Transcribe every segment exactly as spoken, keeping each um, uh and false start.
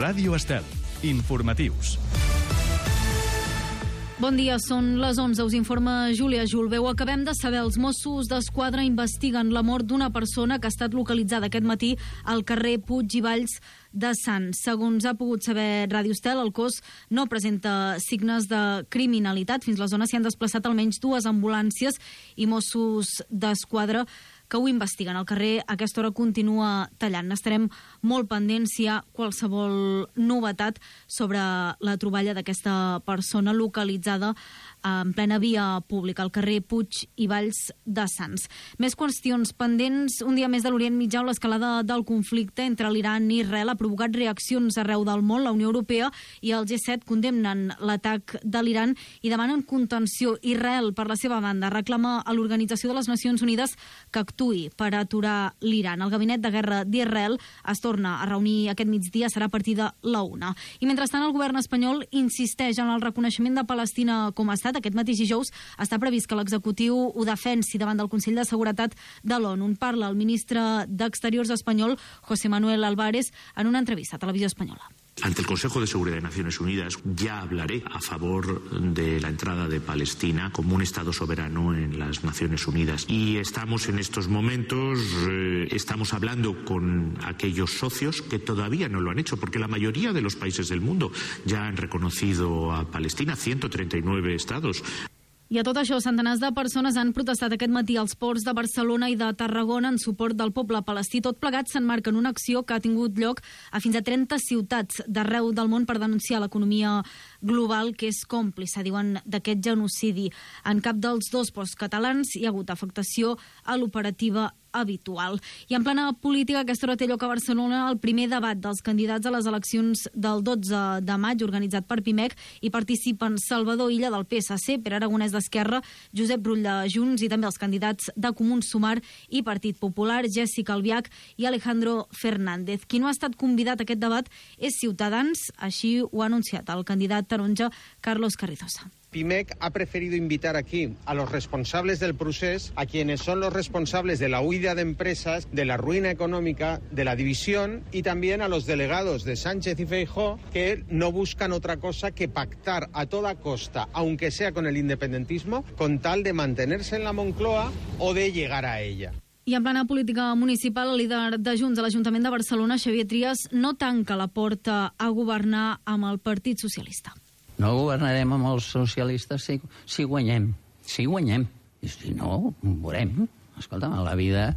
Ràdio Estel. Informatius. Bon dia, són les onze, us informa Júlia Julbeu. Acabem de saber, els Mossos d'Esquadra investiguen la mort d'una persona que ha estat localitzada aquest matí al carrer Puig i Valls de Sants. Segons ha pogut saber Ràdio Estel, el cos no presenta signes de criminalitat. Fins la zona s'hi han desplaçat almenys dues ambulàncies i Mossos d'Esquadra que ho investiguen. El carrer a aquesta hora continua tallant. Estarem molt pendents si hi ha qualsevol novetat sobre la troballa d'aquesta persona localitzada en plena via pública, al carrer Puig i Valls de Sants. Més qüestions pendents. Un dia més de l'Orient Mitjà, on l'escalada del conflicte entre l'Iran i Israel ha provocat reaccions arreu del món. La Unió Europea i el G set condemnen l'atac de l'Iran i demanen contenció. Israel, per la seva banda, reclama a l'Organització de les Nacions Unides que actuï per aturar l'Iran. El gabinet de guerra d'Israel es torna a reunir aquest migdia, serà a partir de la una. I mentrestant, el govern espanyol insisteix en el reconeixement de Palestina com a estat. Aquest mateix dijous està previst que l'executiu ho defensi davant del Consell de Seguretat de l'ONU. En parla el ministre d'Exteriors espanyol, José Manuel Álvarez, en una entrevista a Televisió Espanyola. Ante el Consejo de Seguridad de Naciones Unidas ya hablaré a favor de la entrada de Palestina como un Estado soberano en las Naciones Unidas. Y estamos en estos momentos, eh, estamos hablando con aquellos socios que todavía no lo han hecho, porque la mayoría de los países del mundo ya han reconocido a Palestina, ciento treinta y nueve estados. I a tot això, centenars de persones han protestat aquest matí als ports de Barcelona i de Tarragona en suport del poble palestí. Tot plegat s'emmarca en una acció que ha tingut lloc a fins a trenta ciutats d'arreu del món per denunciar l'economia global que és còmplice, diuen, d'aquest genocidi. En cap dels dos ports catalans hi ha hagut afectació a l'operativa habitual. I en plana política, aquesta hora té lloc a Barcelona el primer debat dels candidats a les eleccions del dotze de maig, organitzat per Pimec, i participen Salvador Illa del P S C, Pere Aragonès d'Esquerra, Josep Rull de Junts i també els candidats de Comuns Sumar i Partit Popular, Jessica Albiach i Alejandro Fernández. Qui no ha estat convidat a aquest debat és Ciutadans, així ho ha anunciat el candidat taronja Carlos Carrizosa. Pimec ha preferido invitar aquí a los responsables del procés, a quienes son los responsables de la huida de empresas, de la ruina económica, de la división, y también a los delegados de Sánchez y Feijóo, que no buscan otra cosa que pactar a toda costa, aunque sea con el independentismo, con tal de mantenerse en la Moncloa o de llegar a ella. I en plana política municipal, el líder de Junts a l'Ajuntament de Barcelona, Xavier Trias, no tanca la porta a governar amb el Partit Socialista. No governarem amb els socialistes si, si guanyem. Si guanyem. I si no, veurem. Escolta'm, a la vida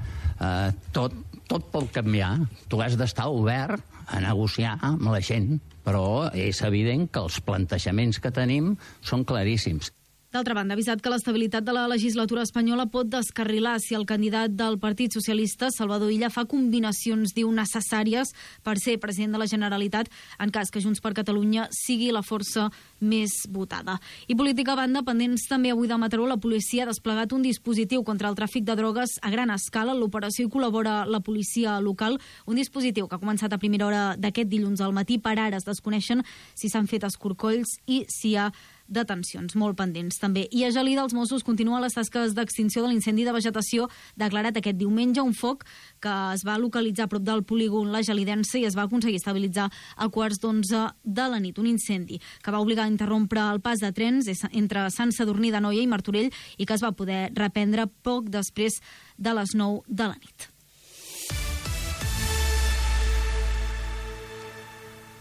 eh, tot, tot pot canviar. Tu has d'estar obert a negociar amb la gent, però és evident que els plantejaments que tenim són claríssims. D'altra banda, ha avisat que l'estabilitat de la legislatura espanyola pot descarrilar si el candidat del Partit Socialista, Salvador Illa, fa combinacions, diu, necessàries per ser president de la Generalitat en cas que Junts per Catalunya sigui la força més votada. I política a banda, pendents també avui de Mataró, la policia ha desplegat un dispositiu contra el tràfic de drogues a gran escala. En l'operació hi col·labora la policia local, un dispositiu que ha començat a primera hora d'aquest dilluns al matí. Per ara es desconeixen si s'han fet escorcolls i si hi ha detencions molt pendents també. I a Gelida els Mossos continuen les tasques d'extinció de l'incendi de vegetació declarat aquest diumenge, un foc que es va localitzar a prop del polígon La Gelidense i es va aconseguir estabilitzar a quarts d'onze de la nit. Un incendi que va obligar a interrompre el pas de trens entre Sant Sadurní d'Anoia i Martorell i que es va poder reprendre poc després de les nou de la nit.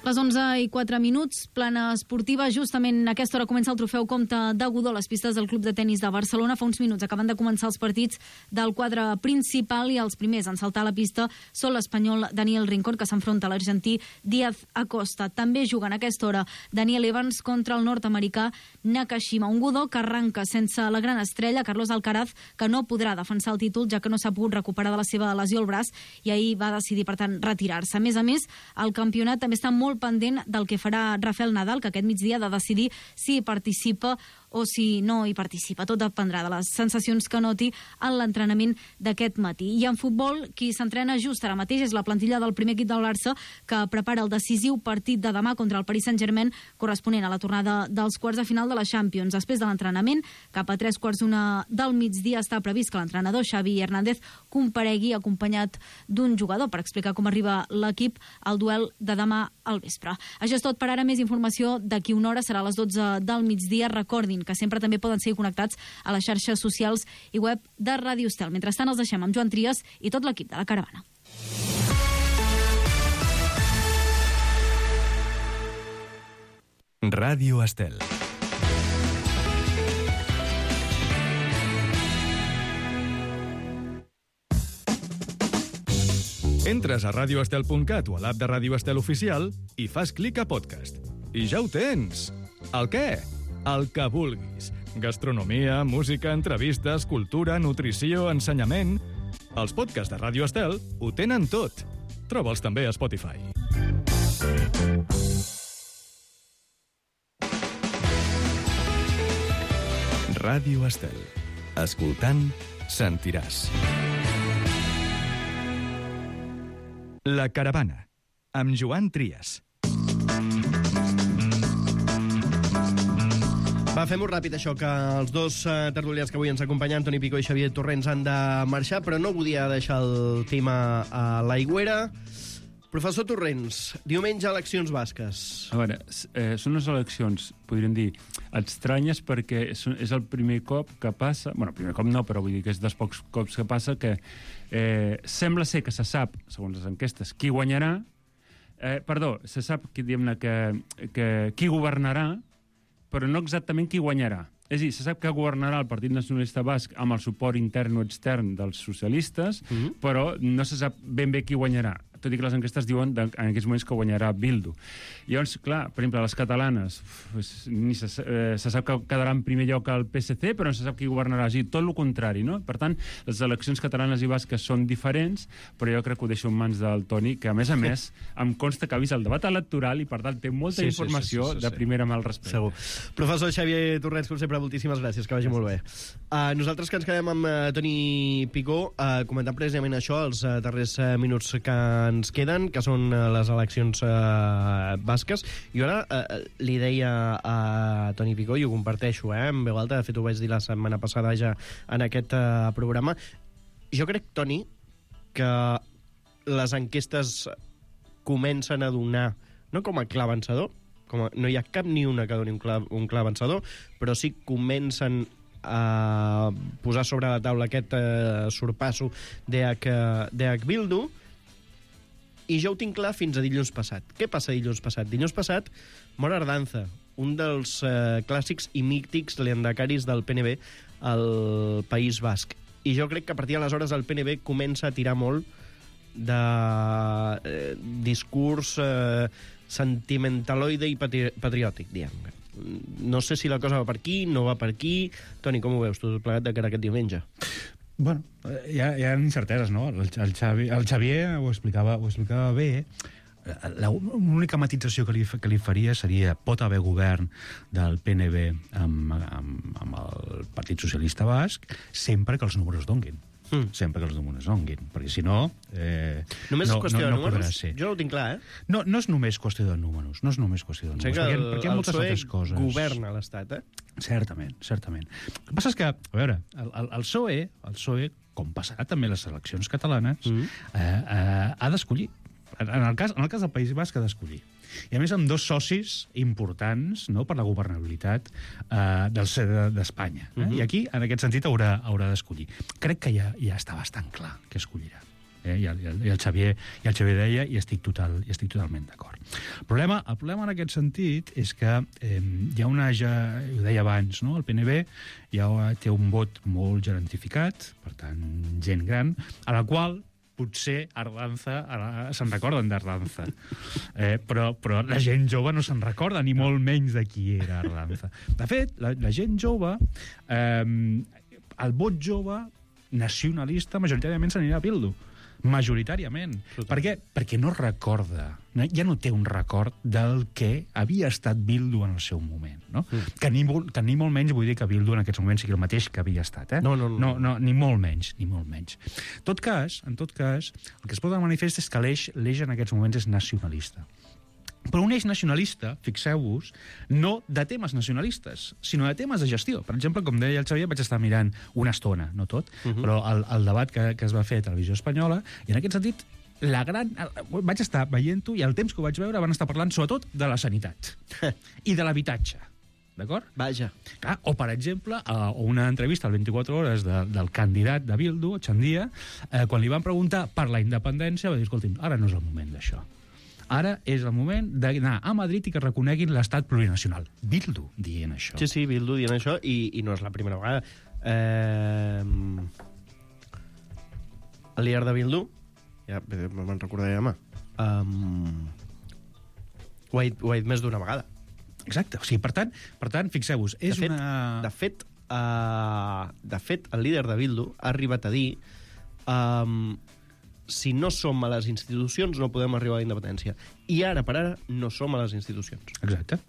Les onze i quatre minuts, plana esportiva. Justament a aquesta hora comença el trofeu Comte de Godó a les pistes del Club de Tenis de Barcelona. Fa uns minuts acaben de començar els partits del quadre principal i els primers en saltar a la pista són l'espanyol Daniel Rincón, que s'enfronta a l'argentí Díaz Acosta. També juguen a aquesta hora Daniel Evans contra el nord-americà Nakashima. Un Godó que arranca sense la gran estrella, Carlos Alcaraz, que no podrà defensar el títol ja que no s'ha pogut recuperar de la seva lesió al braç i ahir va decidir, per tant, retirar-se. A més a més, el campionat també està molt pendent del que farà Rafael Nadal, que aquest migdia ha de decidir si participa o si no hi participa. Tot dependrà de les sensacions que noti en l'entrenament d'aquest matí. I en futbol, qui s'entrena just ara mateix és la plantilla del primer equip del Barça, que prepara el decisiu partit de demà contra el Paris Saint-Germain, corresponent a la tornada dels quarts de final de la Champions. Després de l'entrenament, cap a tres quarts d'una del migdia, està previst que l'entrenador Xavi Hernández comparegui acompanyat d'un jugador per explicar com arriba l'equip al duel de demà al vespre. Això és tot per ara. Més informació d'aquí una hora, serà a les dotze del migdia. Recordin que sempre també poden seguir connectats a les xarxes socials i web de Ràdio Estel. Mentrestant els deixem amb Joan Trias i tot l'equip de la Caravana. Ràdio Estel. Entres a radio estel punt cat o a l'app de Ràdio Estel Oficial i fas clic a podcast. I ja ho tens! El què? El que vulguis. Gastronomia, música, entrevistes, cultura, nutrició, ensenyament... Els podcasts de Ràdio Estel ho tenen tot. Troba'ls també a Spotify. Ràdio Estel. Escoltant, sentiràs. La Caravana, amb Joan Trias. Va, fem-ho ràpid, això, que els dos uh, tertulians que avui ens acompanyen, Toni Picó i Xavier Torrents, han de marxar, però no volia deixar el tema a l'aigüera. Professor Torrents, diumenge eleccions basques. A veure, eh, són unes eleccions, podríem dir, estranyes perquè és, és el primer cop que passa... Bueno, el primer cop no, però vull dir que és dels pocs cops que passa que eh, sembla ser que se sap, segons les enquestes, qui guanyarà. Eh, perdó, se sap que, que, que qui governarà, però no exactament qui guanyarà. És a dir, se sap que governarà el Partit Nacionalista Basc amb el suport intern o extern dels socialistes, mm-hmm. però no se sap ben bé qui guanyarà, tot i que les enquestes diuen de, en aquests moments que guanyarà Bildu. Llavors, clar, per exemple, les catalanes, pues, ni se, eh, se sap que quedarà en primer lloc el P S C, però no se sap qui governarà. És a dir, tot el contrari, no? Per tant, les eleccions catalanes i basques són diferents, però jo crec que ho deixo en mans del Toni, que a més a més em consta que ha vist el debat electoral i per tant té molta sí, informació sí, sí, sí, sí, sí. de primera mà al respecte. Segur. Professor Xavier Torrents, com sempre, moltíssimes gràcies, que vagi molt bé. Uh, nosaltres que ens quedem amb uh, Toni Picó, uh, comentant precisament això, els uh, darrers uh, minuts que ens queden, que són uh, les eleccions uh, basques. I ara uh, li deia a Toni Picó, i ho comparteixo, eh, en veu alta, de fet ho vaig dir la setmana passada ja en aquest uh, programa, jo crec, Toni, que les enquestes comencen a donar, no com a clar vencedor, com a, no hi ha cap ni una que doni un clar, un clar vencedor, però sí comencen a posar sobre la taula aquest eh, sorpasso d'H Bildu, i jo ho tinc clar fins a dilluns passat. Què passa dilluns passat? Dilluns passat mor Ardanza, un dels eh, clàssics i mítics lehendakaris del P N B al País Basc. I jo crec que a partir d'aleshores el P N B comença a tirar molt de eh, discurs eh, sentimentaloide i patri patriòtic, diguem. No sé si la cosa va per aquí, no va per aquí. Toni, com ho veus tu, plegat de cara aquest diumenge? Bueno, hi ha, hi ha incerteses, no? El, el, Xavi, el Xavier ho explicava, ho explicava bé. L'única matització que li, que li faria seria pot haver govern del P N B amb, amb, amb el Partit Socialista Basc sempre que els números donguin. Mm. Sempre que els números donguin, perquè si no... Eh, només no, és qüestió no, no de números? Ser. Jo no ho tinc clar, eh? No, no és només qüestió de números, no és només qüestió de números, o sigui perquè, el, perquè hi ha moltes altres coses. Governa l'Estat, eh? Certament, certament. El que passa és que, a veure, el, el, el P S O E, el P S O E, com passarà també les eleccions catalanes, mm. eh, eh, ha d'escollir. En el cas, en el cas del País Basc ha d'escollir. I a més amb dos socis importants, no?, per la governabilitat eh, d'Espanya. Eh? Mm-hmm. I aquí, en aquest sentit, haurà, haurà d'escollir. Crec que ja, ja està bastant clar que escollirà. Eh? I, el, i, el Xavier, I el Xavier deia, i estic, total, i estic totalment d'acord. El problema, el problema en aquest sentit és que eh, hi ha una... Ja, ho deia abans, no?, el P N B ja té un vot molt gerantificat, per tant, gent gran, a la qual potser Ardanza, se'n recorden d'Ardanza, eh, però, però la gent jove no se'n recorda, ni molt menys de qui era Ardanza. De fet, la, la gent jove, eh, el vot jove nacionalista majoritàriament s'anirà a Bildu. majoritàriament. Per què? Perquè no recorda, ja no té un record del que havia estat Bildu en el seu moment. No? Mm. Que, ni molt, que ni molt menys vull dir que Bildu en aquests moments sigui el mateix que havia estat. Eh? No, no, no. no, no ni molt menys, ni molt menys. En tot cas, en tot cas, el que es pot de manifest és que l'eix, l'eix en aquests moments és nacionalista. Però un eix nacionalista, fixeu-vos, no de temes nacionalistes, sinó de temes de gestió. Per exemple, com deia el Xavier, vaig estar mirant una estona, no tot, uh -huh. però el, el debat que, que es va fer a Televisió Espanyola, i en aquest sentit, la gran... vaig estar veient-ho, i el temps que ho vaig veure van estar parlant sobretot de la sanitat i de l'habitatge. D'acord? Vaja. Ah, o, per exemple, a una entrevista al vint-i-quatre hores de, del candidat de Bildu, Chandia, eh, quan li van preguntar per la independència, va dir, escolti'm, ara no és el moment d'això. Ara és el moment d'anar a Madrid i que reconeguin l'estat plurinacional. Bildu dient això. Sí, sí, Bildu dient això, i, i no és la primera vegada. Eh... El líder de Bildu, ja me'n recordaré demà, um... ho, ha dit, ho ha dit més d'una vegada. Exacte. O sigui, per tant, per tant fixeu-vos, és de fet, una... De fet, uh, de fet, el líder de Bildu ha arribat a dir um, si no som a les institucions no podem arribar a la independència. I ara per ara no som a les institucions. Exacte.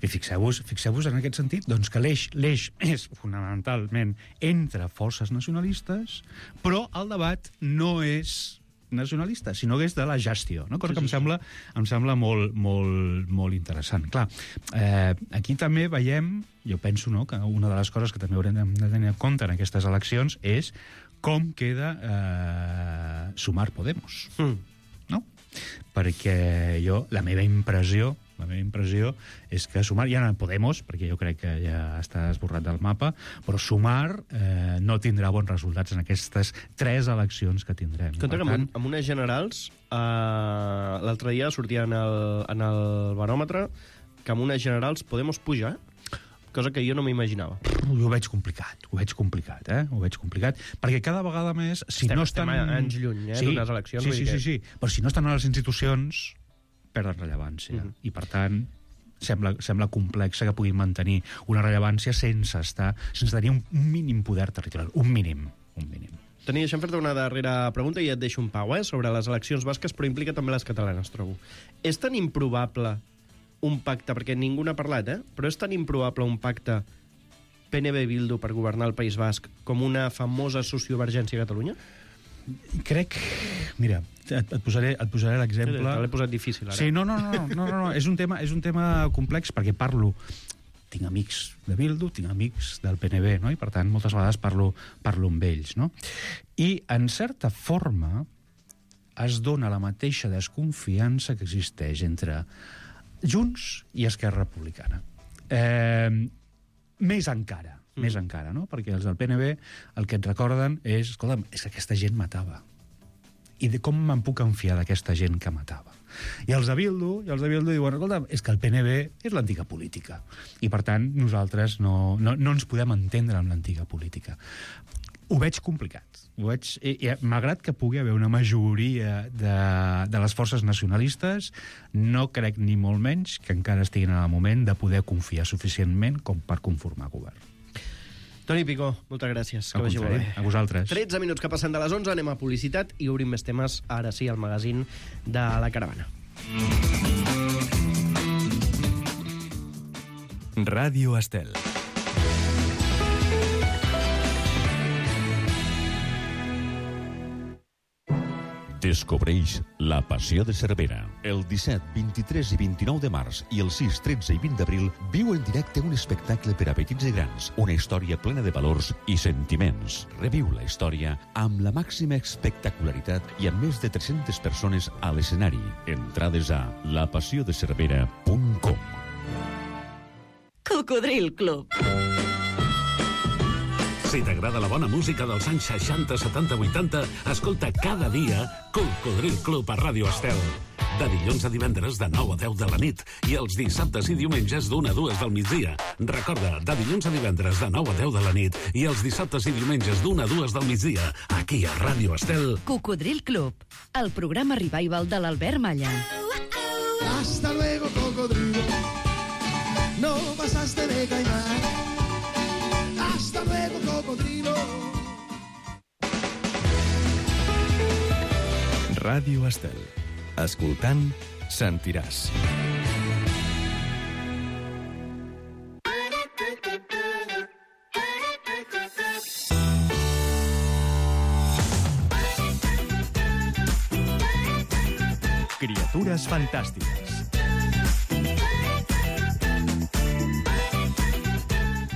I fixeu-vos fixeu-vos en aquest sentit doncs que l'eix l'eix és fonamentalment entre forces nacionalistes, però el debat no és nacionalista, sinó que és de la gestió, no? Cosa sí, sí, que em sembla, em sembla molt, molt, molt interessant. Clar, eh, aquí també veiem, jo penso, no, que una de les coses que també haurem de tenir en compte en aquestes eleccions és com queda eh, Sumar Podemos. Mm. No? Perquè jo, la meva impressió, la meva impressió és que Sumar, ja no Podemos, perquè jo crec que ja està esborrat del mapa, però Sumar eh, no tindrà bons resultats en aquestes tres eleccions que tindrem. Compte que tant... amb unes generals, eh, l'altre dia sortia en el, en el baròmetre que amb unes generals Podemos pujar, cosa que jo no m'imaginava. Jo ho veig complicat, ho veig complicat, eh? Ho veig complicat, perquè cada vegada més, si estem, no estan... Estem anys lluny, eh, sí, d'unes eleccions. Sí, sí, que... sí, sí, però si no estan a les institucions, perden rellevància. Mm -hmm. I, per tant, sembla, sembla complex que puguin mantenir una rellevància sense estar, sense tenir un, un mínim poder territorial. Un mínim, un mínim. Toni, deixa'm fer-te una darrera pregunta i et deixo un pau, eh, sobre les eleccions basques, però implica també les catalanes, trobo. És tan improbable un pacte, perquè ningú n'ha parlat, eh? Però és tan improbable un pacte P N B-Bildu per governar el País Basc com una famosa sociovergència a Catalunya? Crec... Mira, et, et posaré, et posaré l'exemple... Sí, te l'he posat difícil, ara. Sí, no, no, no, no, no, no. És, un tema, és un tema complex perquè parlo... Tinc amics de Bildu, tinc amics del P N B, no? I, per tant, moltes vegades parlo, parlo amb ells, no? I, en certa forma, es dona la mateixa desconfiança que existeix entre Junts i Esquerra Republicana. Eh, més encara, mm. més encara, no? Perquè els del P N B el que et recorden és, escolta'm, és que aquesta gent matava. I de com me'n puc confiar d'aquesta gent que matava? I els de Bildu, i els de Bildu diuen, escolta'm, és que el P N B és l'antiga política. I, per tant, nosaltres no, no, no ens podem entendre amb l'antiga política. Ho veig complicat. Ho veig, i, i, malgrat que pugui haver una majoria de, de les forces nacionalistes, no crec ni molt menys que encara estiguin en el moment de poder confiar suficientment com per conformar govern. Toni Picó, moltes gràcies. Que vagi molt bé. A vosaltres. tretze minuts que passen de les onze, anem a publicitat i obrim més temes, ara sí, al magazín de La Caravana. Ràdio Estel. Descobreix La Passió de Cervera. El disset, vint-i-tres i vint-i-nou de març i el sis, tretze i vint d'abril viu en directe un espectacle per a petits i grans, una història plena de valors i sentiments. Reviu la història amb la màxima espectacularitat i amb més de tres-centes persones a l'escenari. Entrades a la passió de cervera punt com. Cocodril Club. Si t'agrada la bona música dels anys seixanta, setanta, vuitanta, escolta cada dia Cocodril Club a Ràdio Estel. De dilluns a divendres de nou a deu de la nit i els dissabtes i diumenges d'una a dues del migdia. Recorda, de dilluns a divendres de nou a deu de la nit i els dissabtes i diumenges d'una a dues del migdia, aquí a Ràdio Estel. Cocodril Club, el programa revival de l'Albert Malla. Hasta luego, cocodrilo. No pasaste de caimán. Hasta luego, cocodrilo. Ràdio Estel. Escoltant, sentiràs. Criatures fantàstiques.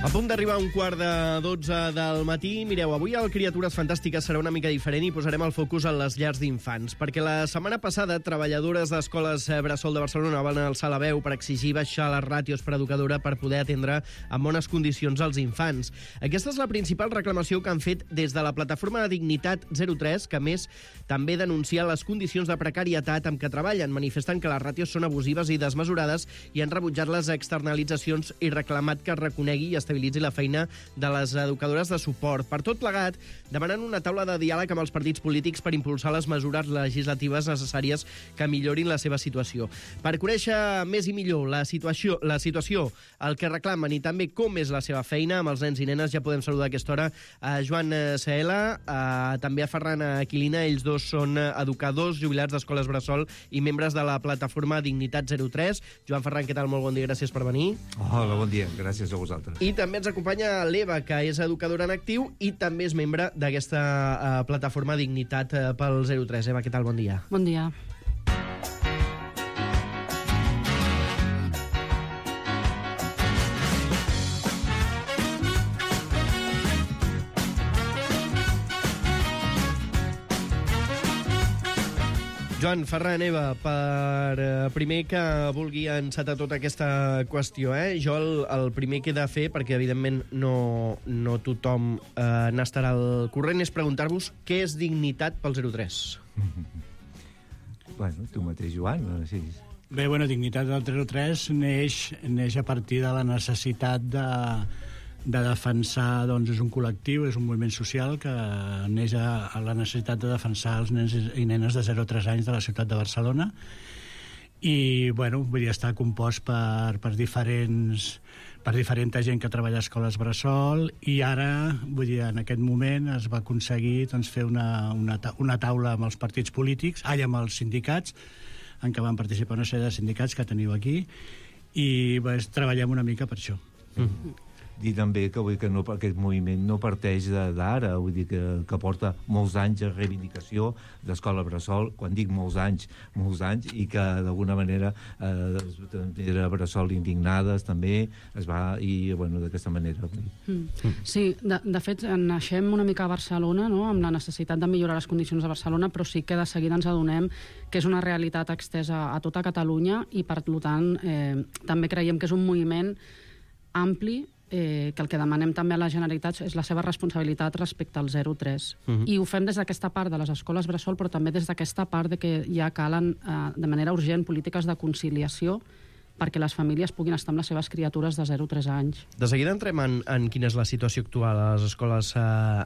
A punt d'arribar a un quart de dotze del matí. Mireu, avui el Criatures Fantàstiques serà una mica diferent i posarem el focus en les llars d'infants, perquè la setmana passada treballadores d'escoles Bressol de Barcelona van alçar la veu per exigir baixar les ràtios per educadora per poder atendre en bones condicions els infants. Aquesta és la principal reclamació que han fet des de la plataforma de Dignitat zero tres, que a més també denuncia les condicions de precarietat amb què treballen, manifestant que les ràtios són abusives i desmesurades i han rebutjat les externalitzacions i reclamat que es reconegui i estabilitzi la feina de les educadores de suport. Per tot plegat, demanen una taula de diàleg amb els partits polítics per impulsar les mesures legislatives necessàries que millorin la seva situació. Per conèixer més i millor la situació, la situació, el que reclamen i també com és la seva feina amb els nens i nenes, ja podem saludar a aquesta hora a Joan Saela, a, també a Ferran Aquilina. Ells dos són educadors jubilats d'escoles Bressol i membres de la plataforma Dignitat zero tres. Joan, Ferran, què tal? Molt bon dia, gràcies per venir. Hola, bon dia, gràcies a vosaltres. I també ens acompanya l'Eva, que és educadora en actiu i també és membre d'aquesta uh, plataforma Dignitat uh, pel zero tres. Eva, què tal? Bon dia. Bon dia. Joan, Ferran, Eva, per eh, primer que vulgui encetar tota aquesta qüestió, eh? Jo el, el primer que he de fer, perquè evidentment no, no tothom eh, n'estarà al corrent, és preguntar-vos què és Dignitat pel zero tres. Bueno, tu mateix, Joan. Sí. Bé, bueno, Dignitat del zero tres neix, neix a partir de la necessitat de, de defensar, doncs és un col·lectiu, és un moviment social que neix a, a la necessitat de defensar els nens i nenes de zero a tres anys de la ciutat de Barcelona. I, bueno, vull dir, està compost per, per diferents per diferent gent que treballa a escoles Bressol, i ara, vull dir, en aquest moment es va aconseguir doncs, fer una, una, una taula amb els partits polítics, ai, amb els sindicats, en què van participar una sèrie de sindicats que teniu aquí, i pues, treballem una mica per això. Mm. Dir també que, vull, que no, aquest moviment no parteix d'ara, vull dir que, que porta molts anys de reivindicació d'Escola Bressol, quan dic molts anys, molts anys, i que d'alguna manera eh, era Bressol indignades també, es va, i bueno, d'aquesta manera. Mm. Sí, de, de fet, naixem una mica a Barcelona, no?, amb la necessitat de millorar les condicions de Barcelona, però sí que de seguida ens adonem que és una realitat extesa a tota Catalunya i, per tant, eh, també creiem que és un moviment ampli, Eh, que el que demanem també a la Generalitat és la seva responsabilitat respecte al zero tres. Uh-huh. I ho fem des d'aquesta part de les escoles Bressol, però també des d'aquesta part de que ja calen eh, de manera urgent polítiques de conciliació perquè les famílies puguin estar amb les seves criatures de zero a tres anys. De seguida entrem en, en quina és la situació actual a les escoles eh,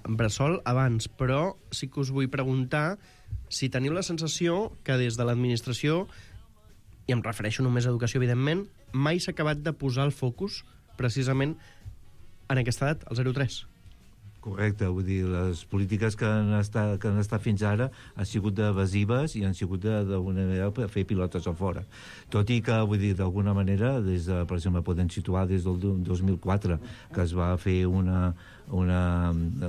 Bressol abans, però sí que us vull preguntar si teniu la sensació que des de l'administració, i em refereixo només a educació, evidentment, mai s'ha acabat de posar el focus precisament en aquesta edat, el zero tres. Correcte, vull dir, les polítiques que han estat, que han estat fins ara han sigut evasives i han sigut d'alguna manera per fer pilotes a fora. Tot i que, vull dir, d'alguna manera, des de, per exemple, podem situar des del dos mil quatre, que es va fer una, una,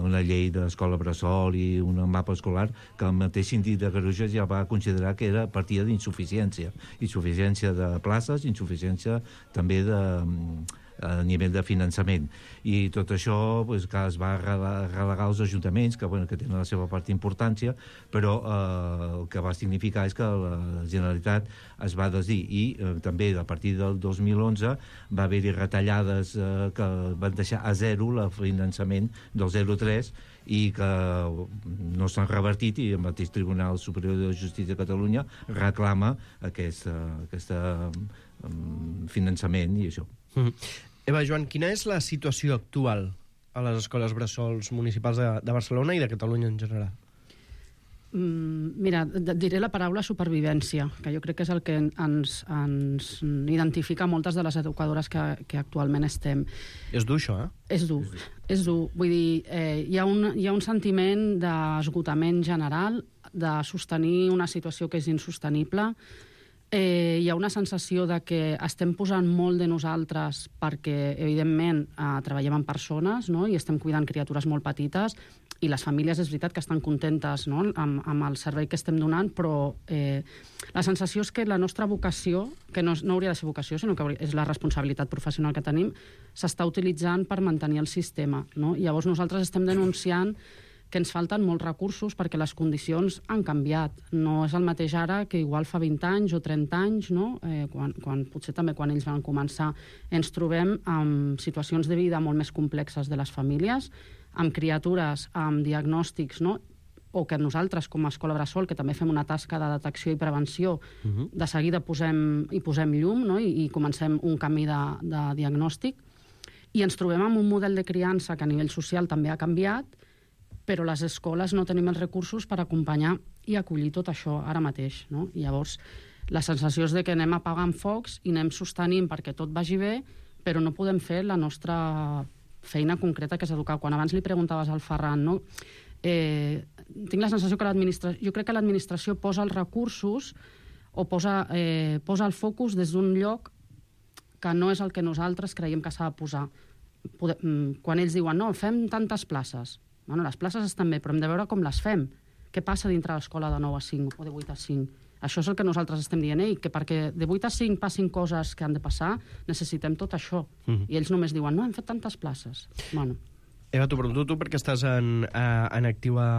una llei d'escola Bressol i un mapa escolar, que el mateix síndic de Greuges ja va considerar que era partida d'insuficiència. Insuficiència de places, insuficiència també de a nivell de finançament. I tot això pues, que es va relegar als ajuntaments, que, bueno, que tenen la seva part d'importància, però eh, el que va significar és que la Generalitat es va desdir. I eh, també a partir del dos mil onze va haver-hi retallades eh, que van deixar a zero el finançament del zero tres i que no s'han revertit, i el mateix Tribunal Superior de Justícia de Catalunya reclama aquest, aquest um, finançament i això. Mm-hmm. Eva, Joan, quina és la situació actual a les escoles Bressols municipals de, de Barcelona i de Catalunya en general? Mira, diré la paraula supervivència, que jo crec que és el que ens, ens identifica moltes de les educadores que, que actualment estem. És dur, això, eh? És dur, és dur. Vull dir, eh, hi, ha un, hi ha un sentiment d'esgotament general, de sostenir una situació que és insostenible. Eh, hi ha una sensació de que estem posant molt de nosaltres perquè, evidentment, eh, treballem amb persones, no?, i estem cuidant criatures molt petites, i les famílies és veritat que estan contentes, no?, amb, amb el servei que estem donant, però eh, la sensació és que la nostra vocació, que no, no hauria de ser vocació, sinó que és la responsabilitat professional que tenim, s'està utilitzant per mantenir el sistema, no? I llavors nosaltres estem denunciant que ens falten molts recursos perquè les condicions han canviat. No és el mateix ara que igual fa vint anys o trenta anys, no? eh, quan, quan, potser també quan ells van començar. Ens trobem amb situacions de vida molt més complexes de les famílies, amb criatures, amb diagnòstics, no?, o que nosaltres, com a Escola Bressol, que també fem una tasca de detecció i prevenció, uh-huh. de seguida posem, hi posem llum, no?, i, i comencem un camí de, de diagnòstic, i ens trobem amb un model de criança que a nivell social també ha canviat, però les escoles no tenim els recursos per acompanyar i acollir tot això ara mateix, no? I llavors, la sensació és de que anem apagant focs i anem sostenint perquè tot vagi bé, però no podem fer la nostra feina concreta, que és educar. Quan abans li preguntaves al Ferran, no? Eh, tinc la sensació que l'administració... Jo crec que l'administració posa els recursos o posa, eh, posa el focus des d'un lloc que no és el que nosaltres creiem que s'ha de posar. Poder, quan ells diuen, no, fem tantes places. Bueno, les places estan bé, però hem de veure com les fem. Què passa dintre l'escola de nou a cinc o de vuit a cinc? Això és el que nosaltres estem dient, eh? Que perquè de vuit a cinc passin coses que han de passar, necessitem tot això. Mm-hmm. I ells només diuen, no, hem fet tantes places. Bueno. Eva, t'ho pregunto tu perquè estàs en, en actiu a,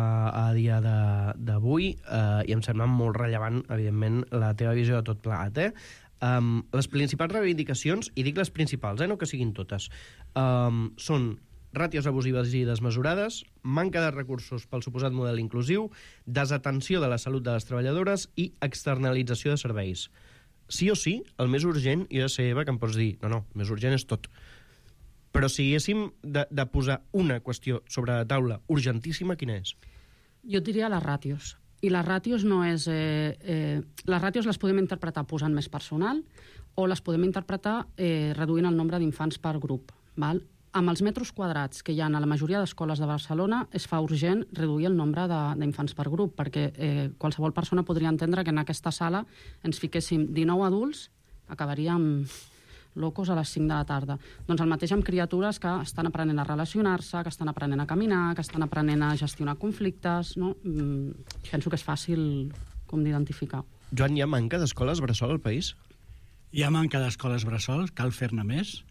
a dia d'avui eh, i em sembla molt rellevant, evidentment, la teva visió de tot plegat, eh? Um, les principals reivindicacions, i dic les principals, eh, no que siguin totes, um, són ràtios abusives i desmesurades, manca de recursos pel suposat model inclusiu, desatenció de la salut de les treballadores i externalització de serveis. Sí o sí, el més urgent, i jo sé, Eva, que em pots dir, no, no, el més urgent és tot. Però si haguéssim de, de posar una qüestió sobre la taula urgentíssima, quina és? Jo et diria les ràtios. I les ràtios no és... Eh, eh, les ràtios les podem interpretar posant més personal o les podem interpretar eh, reduint el nombre d'infants per grup. Val? Amb els metres quadrats que hi ha a la majoria d'escoles de Barcelona es fa urgent reduir el nombre d'infants per grup, perquè eh, qualsevol persona podria entendre que en aquesta sala ens fiquéssim dinou adults, acabaríem locos a les cinc de la tarda. Doncs el mateix amb criatures que estan aprenent a relacionar-se, que estan aprenent a caminar, que estan aprenent a gestionar conflictes, no? Mm, penso que és fàcil com d'identificar. Joan, hi ha manca d'escoles bressol al país? Hi ha manca d'escoles bressol, cal fer-ne més.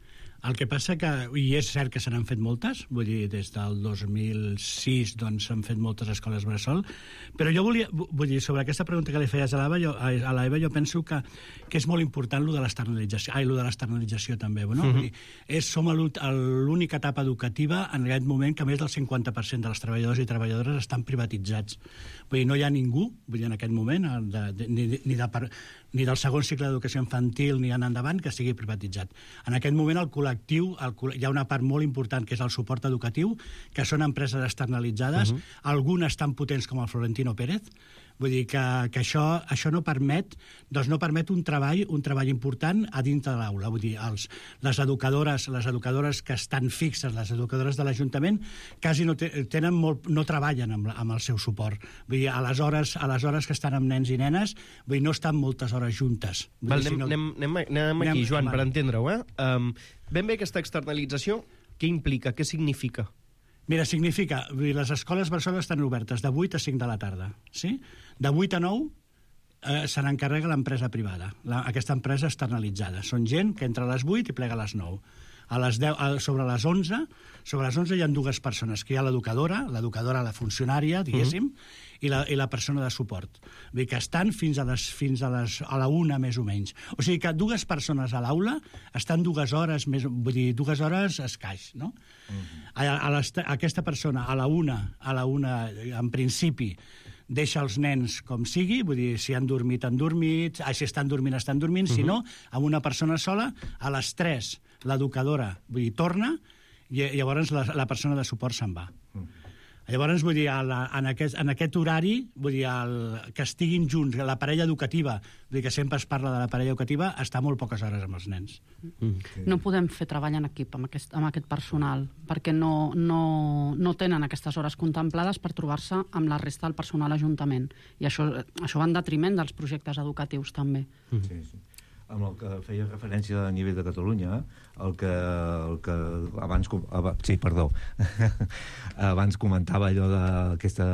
El que passa que, i és cert que se n'han fet moltes, vull dir, des del dos mil sis doncs s'han fet moltes escoles bressol, però jo volia, vull dir, sobre aquesta pregunta que li feies a l'Eva, jo, a l'Eva jo penso que, que és molt important lo de l'externalització, ai, lo de l'externalització també, no? Uh-huh. Vull dir, és, som l'única etapa educativa en aquest moment que més del cinquanta per cent de les treballadors i treballadores estan privatitzats. Vull dir, no hi ha ningú, vull dir, en aquest moment, de, de, ni, ni, de, ni del segon cicle d'educació infantil ni en endavant que sigui privatitzat. En aquest moment el col·lectiu, el, hi ha una part molt important que és el suport educatiu, que són empreses externalitzades, uh-huh. algunes tan potents com el Florentino Pérez. Vull dir que, que això, això no permet, doncs no permet un treball, un treball important a dintre de l'aula. Vull dir, els, les educadores, les educadores que estan fixes, les educadores de l'Ajuntament, quasi no, te, tenen molt, no treballen amb, amb el seu suport. Vull dir, a les hores, a les hores que estan amb nens i nenes, vull dir, no estan moltes hores juntes. Vull Val, dir, anem, si no... anem, anem, anem aquí, Joan, anem, per entendre-ho. Eh? Um, ben bé aquesta externalització, què implica, què significa? Mira, significa, les escoles bressol estan obertes de vuit a cinc de la tarda, sí? De vuit a nou eh, se n'encarrega l'empresa privada, la, aquesta empresa externalitzada. Són gent que entra a les vuit i plega a les nou. A les deu, a, sobre les onze, sobre les onze hi ha dues persones, que hi ha l'educadora, l'educadora, la funcionària, diguéssim, uh-huh. i, la, i la persona de suport. Vull dir que estan fins a les fins a les a la una, més o menys. O sigui que dues persones a l'aula estan dues hores, més, vull dir, dues hores escaix, no? Uh-huh. A, a les, aquesta persona a la una, a la una, en principi, deixa els nens com sigui, vull dir, si han dormit, han dormit, ah, si estan dormint, estan dormint, uh-huh. si no, amb una persona sola, a les tres, l'educadora, vull dir, torna, i llavors la, la persona de suport se'n va. Uh-huh. Llavors, vull dir, en aquest, en aquest horari, vull dir, el, que estiguin junts, la parella educativa, vull dir que sempre es parla de la parella educativa, està molt poques hores amb els nens. Mm. No podem fer treball en equip amb aquest, amb aquest personal, perquè no, no, no tenen aquestes hores contemplades per trobar-se amb la resta del personal ajuntament. I això, això va en detriment dels projectes educatius, també. Mm. Sí, sí. Amb el que feia referència a nivell de Catalunya, el que, el que abans, sí, perdó, abans comentava allò d'aquesta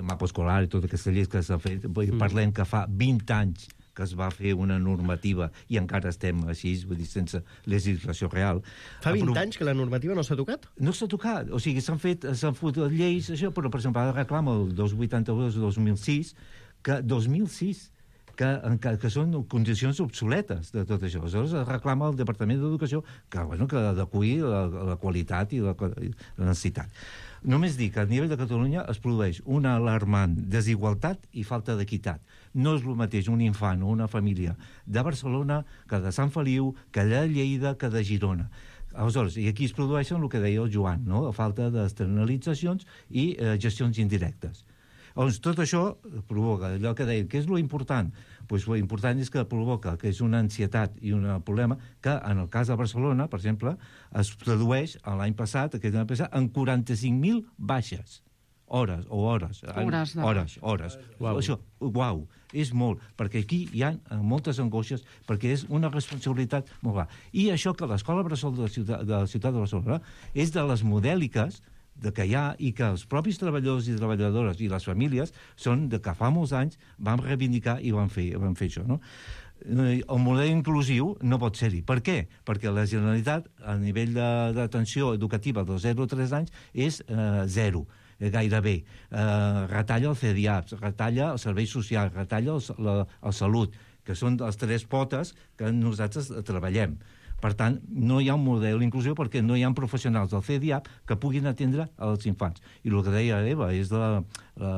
mapa escolar i tota aquesta llei que s'ha fet, mm. parlem que fa vint anys que es va fer una normativa i encara estem així, vull dir, sense legislació real. Fa vint però... anys que la normativa no s'ha tocat? No s'ha tocat, o sigui, s'han fet, s'han fet lleis, això, però, per exemple, ara reclama el dos vuitanta-dos dos mil sis, que dos mil sis, que, que, que són condicions obsoletes de tot això. Aleshores reclama el Departament d'Educació que, bueno, que adeqüi la, la qualitat i la, i la necessitat. Només dic que a nivell de Catalunya es produeix una alarmant desigualtat i falta d'equitat. No és el mateix un infant o una família de Barcelona que de Sant Feliu, que de Lleida, que de Girona. Aleshores, i aquí es produeixen el que deia el Joan, no? La falta d'externalitzacions i eh, gestions indirectes. Llavors, tot això provoca allò que deia, què és lo important? Pues lo important és que provoca que és una ansietat i un problema que, en el cas de Barcelona, per exemple, es tradueix l'any passat, aquest any passat, en quaranta-cinc mil baixes. Hores, o hores. Hores. De... Hores, hores. Uau. Això, uau, és molt, perquè aquí hi ha moltes angoixes, perquè és una responsabilitat molt gran. I això que l'Escola Bressol de la ciutat de, la ciutat de Barcelona és de les modèliques de que hi ha i que els propis treballadors i treballadores i les famílies són de que fa molts anys vam reivindicar i vam fer, vam fer això, no? El model inclusiu no pot ser-hi. Per què? Perquè la Generalitat, a nivell d'atenció educativa dels zero a tres anys, és eh, zero, eh, gairebé. Eh, retalla el C D I A P S, retalla el servei social, retalla el, la, el salut, que són les tres potes que nosaltres treballem. Per tant, no hi ha un model inclusiu perquè no hi ha professionals del C D I A P que puguin atendre els infants. I el que deia Eva és de la, la,